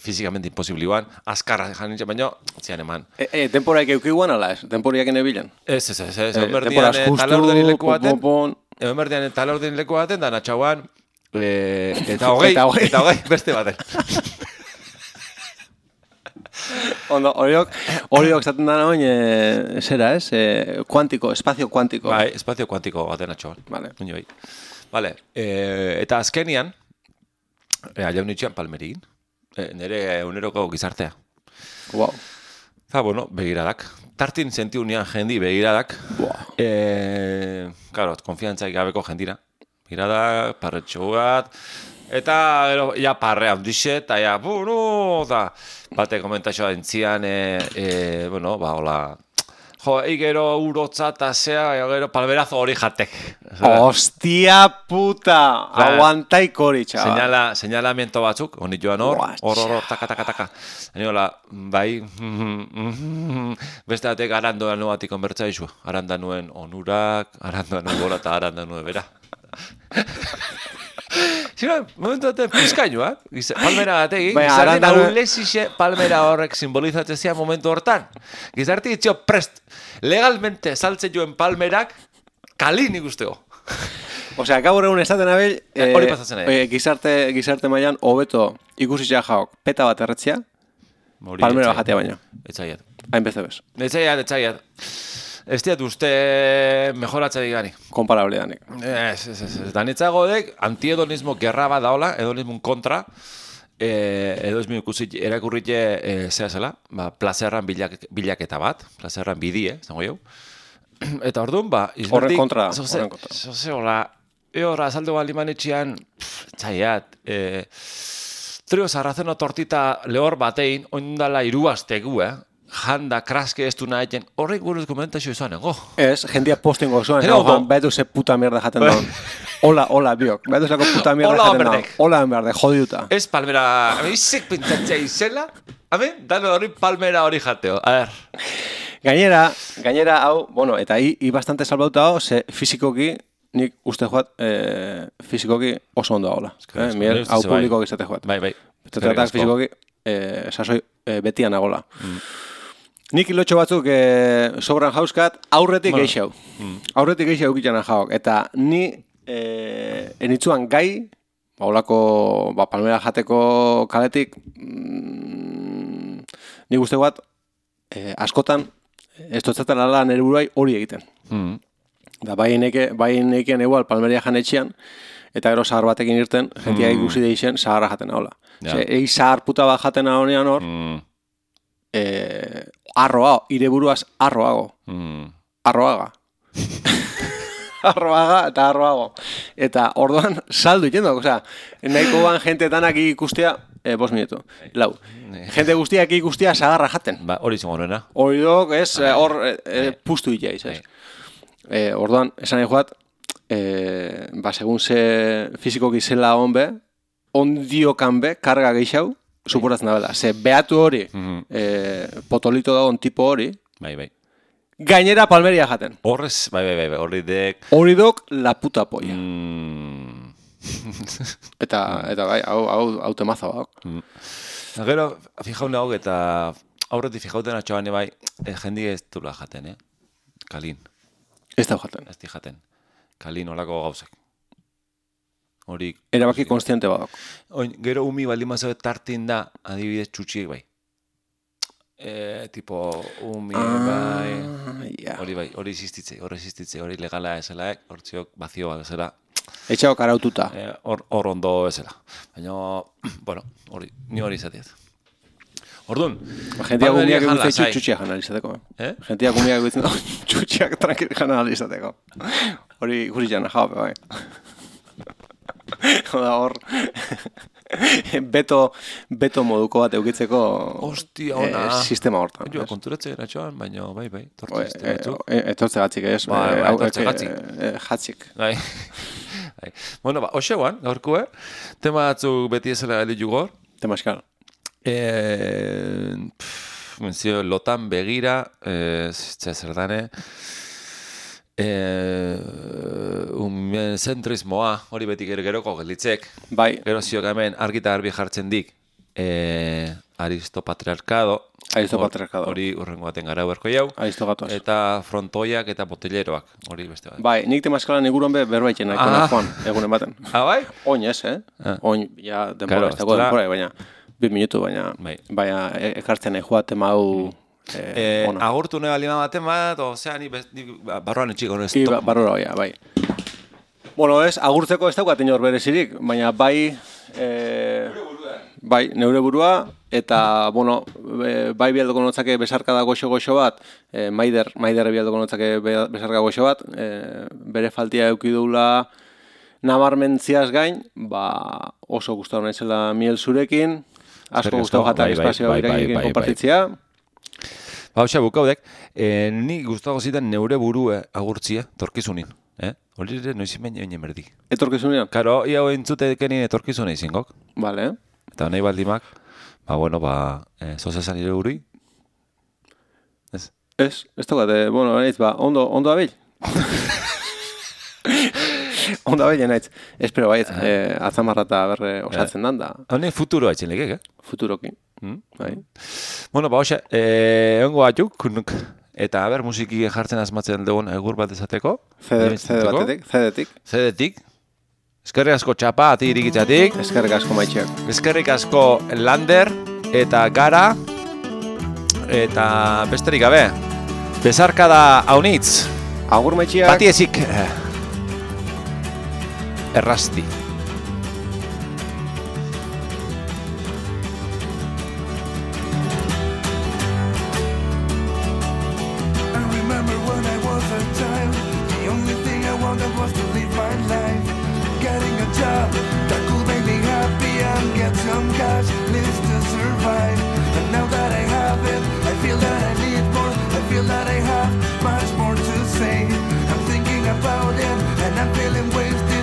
fizikamente imposibli guan, azkarra jan nintzen, baina, zian eman. E, e, temporaik eukiguan ala ez? Temporaik enebilen? Ez, ez, ez, ez, E, egon berdian temporaz justu, talordeni leku baten, pon, pon. egon berdian talordeni leku baten, da natxauan, e, eta hogei, Eta hogei. eta hogei, beste baten. Ondo, horiok, horiok zaten dana oin, e, zera ez? E, kuantiko, espazio kuantiko. Bai, espazio kuantiko baten atxauan. Vale. Oin bai. Vale, e, eta azkenian, e, aliaun itxean palmerin, e, nire uneroko gizartea. Wow. Eta, bueno, begiradak. Tartin sentiu nian jendi begiradak. Buah. E, claro, konfiantzaik gabeko jendira. Begiradak, parretxo bat, eta gero, ja parre handixe, eta ja, bueno, eta bate komentaxoa entzian, e, e, bueno, ba, hola, jo, gero urotza eta zea, gero palmerazo hori jatek. Hostia puta! Ba, Aguantaik hori, txaba. Señala, señalamiento batzuk, honit joan hor, Buah, hor, hor, hor, taka, taka, taka. Hani hola, bai, beste batek arando anu batik konbertza izu. Aranda nuen onurak, aranda nuen bola eta aranda nuen bera. Zira, momentu batean pizkainoak, palmera batekin, Baina, gizartien aranda nuen- aulesixe palmera horrek simbolizatzen zian momentu hortan. Gizarti itxio prest, legalmente saltzen joen palmerak, kalin ikusteko. Osea, gaur egun esaten abel, Eh, hori pasatzen nahi. eh, gizarte, gizarte mailan hobeto ikusitza jaok peta bat erretzia, Hori palmera etzaiat. jatea baina. Etzaiat. Hain beze bez. Etzaiat, etzaiat. Ez diat uste mejoratza digani. Komparable danik. Ez, ez, ez, ez. Danitzago dek, antiedonismo gerra bat daola, edonismun kontra, e, edo ez mi ikusi erakurrite e, zea zela, ba, plazerran bilak, bilaketa bat, plazerran bidie, zango jau. Eta orduan, ba, Horren kontra, zoze, horren kontra. zoze, hola, eora, azaldu baliman etxian, txaiat, e, trio sarrazeno tortita lehor batein, ondala iruaztegu, eh? Janda, kraske ez du nahi, horrek buruz komentazio izan, ego. Ez, jendia postingo zuen, Pero, no, ondo. Joan, betu ze puta mierda jaten daun. Hola, hola, biok. Betu zeko puta mierda Hola, jaten daun. berdek. Hola, berde, jodiuta. Ez palmera, izek pentsatzea izela, amen, dano hori palmera hori jateo. A ver, Gainera, gainera, hau, bueno, eta hi, hi bastante salbauta hau, ze fizikoki nik uste joat e, fizikoki oso ondo dagoela. Eh? Miel, hau bai. publiko izate joat. Bai, bai. Betetatak fizikoki e, sasoi e, betian nagola. Mm. Nik ilotxo batzuk e, sobran jauzkat aurretik bueno. Geixau. Mm. Aurretik geixau eukitxana jauk. Eta ni e, enitzuan gai, baulako ba, palmera jateko kaletik, mm, nik uste bat e, askotan ez dutzaten ala nire buruai hori egiten. Mm. Da, bai neke, bai nekien egual palmeria jan etxian, eta gero zahar batekin irten, jentia mm. ikusi deixen zaharra jaten haula. Ja. Egi zahar puta bat jaten honean hor, mm. e, arroa, ire buruaz arroago. Mm. Arroaga. arroaga eta arroago. Eta orduan saldu itendo, osea, nahiko ban jentetanak ikustea, e, bos minutu, lau. Jente guztiak ikustea zaharra jaten. Ba, hori izango horrena. Hori dok, ez, hor e, e, pustu itaiz, ez. E, orduan, esan nahi joat, e, ba, segun ze fizikoki zela honbe, ondiokan be, karga geixau, suporatzen da bela. Ze behatu hori, mm-hmm. e, potolito dagoen tipo hori, bai, bai. Gainera palmeria jaten. Horrez, bai, bai, bai, hori dek... Hori dok la puta polla. Mm. eta, eta bai, hau, hau, hau temaza bak. Mm. Gero, fijaun hau eta aurretik fijauten atxoan bai, e, jendi ez dula jaten, eh? Kalin. Ez da jaten. Ez di jaten. Kalin olako gauzak. Hori... Erabaki konstiente badok. Oin, gero umi baldin mazo tartin da, adibidez txutxiek bai. E, tipo, umi, ah, bai... Yeah. Hori bai, hori existitze, hori existitze, hori legala eselaek, hortziok bazioa esela. Etxago karaututa. Hor e, ondo esela. Baina, bueno, hori, ni hori izatiet. Orduan, jentia gumiak egutzen txutxiak jana alizateko. Eh? Jentia gumiak egutzen txutxiak tranquil jana alizateko. Hori guri jana jau, bai. Oda hor, beto, beto moduko bat eukitzeko Ostia, ona. E, sistema hortan. Jo, konturatzea eratxoan, baina bai, bai, tortze batzuk. Etortze gatzik, ez? Ba, ba, etortze gatzik. Jatzik. Bai. Bueno, ba, hoxeuan, gaurkue, tema batzuk beti ezela elitu gor. Tema eskal. Eh, menzio, lotan begira, eh, zer dane, eh, un zentrismoa, hori beti gero geroko gelditzek. Bai. Gero ziok hemen argita garbi jartzen dik, eh, aristopatriarkado. Aristopatriarkado. Hori urrengo baten gara berko jau. Aristogatos. Eta frontoiak eta boteleroak, hori beste bat. Bai, nik temaskalan iguron be berbaiten nahiko ah. Joan, egunen baten. Ah, bai? Oin ez, eh? Ah. Oin, ja, denbora, ez dago denbora, baina... Bir minutu, baina, bai. Baina ekartzen nahi joa tema hau e, e, agurtu nahi balima baten bat, ozea, ni, ni barroan etxiko no ez top. Ba, barroa, ja, bai. Bueno, ez, agurtzeko ez daukat inor berezirik, baina bai... E, bai, neure burua, eta, bueno, e, bai bialdoko notzake besarkada goxo-goxo bat, e, maider, maider bialdoko notzake besarkada goxo bat, e, bere faltia eukidula nabarmentziaz gain, ba, oso gustatu naizela miel zurekin, asko gustatu jatak espazioa irakin konpartitzia. Ba, hoxa, bukaudek, eh, ni gustatu zitan neure burue agurtzia, torkizunin. Eh? Hori ere, noizin baina baina berdi. Etorkizunean? Karo, ia hoen zutekenin etorkizune izingok. Vale. Eta nahi baldimak, ba, bueno, ba, eh, zozesan ire guri. Ez? Ez, ez tokate, bueno, nahiz, ba, ondo, ondo abil. Ondo abil, nahiz. Espero baiet, eh, atzamarra eta berre osatzen dan da. Hone futuro haitzen legek, eh? Futuroki. Mm? Bai. Bueno, ba, hoxe, eh, ongo batzuk, kunuk. Eta, ber, musiki jartzen asmatzen dugun egur bat ezateko. Zede batetik, zedetik. Zedetik. Eskerrik asko txapa, ati irikitzatik. Eskerrik asko maitxeak. Eskerrik asko Lander eta Gara. Eta besterik gabe. Besarkada haunitz. Agur maitxeak. Pati ezik. Errasti. Some cash needs to survive, and now that I have it, I feel that I need more. I feel that I have much more to say. I'm thinking about it, and I'm feeling wasted.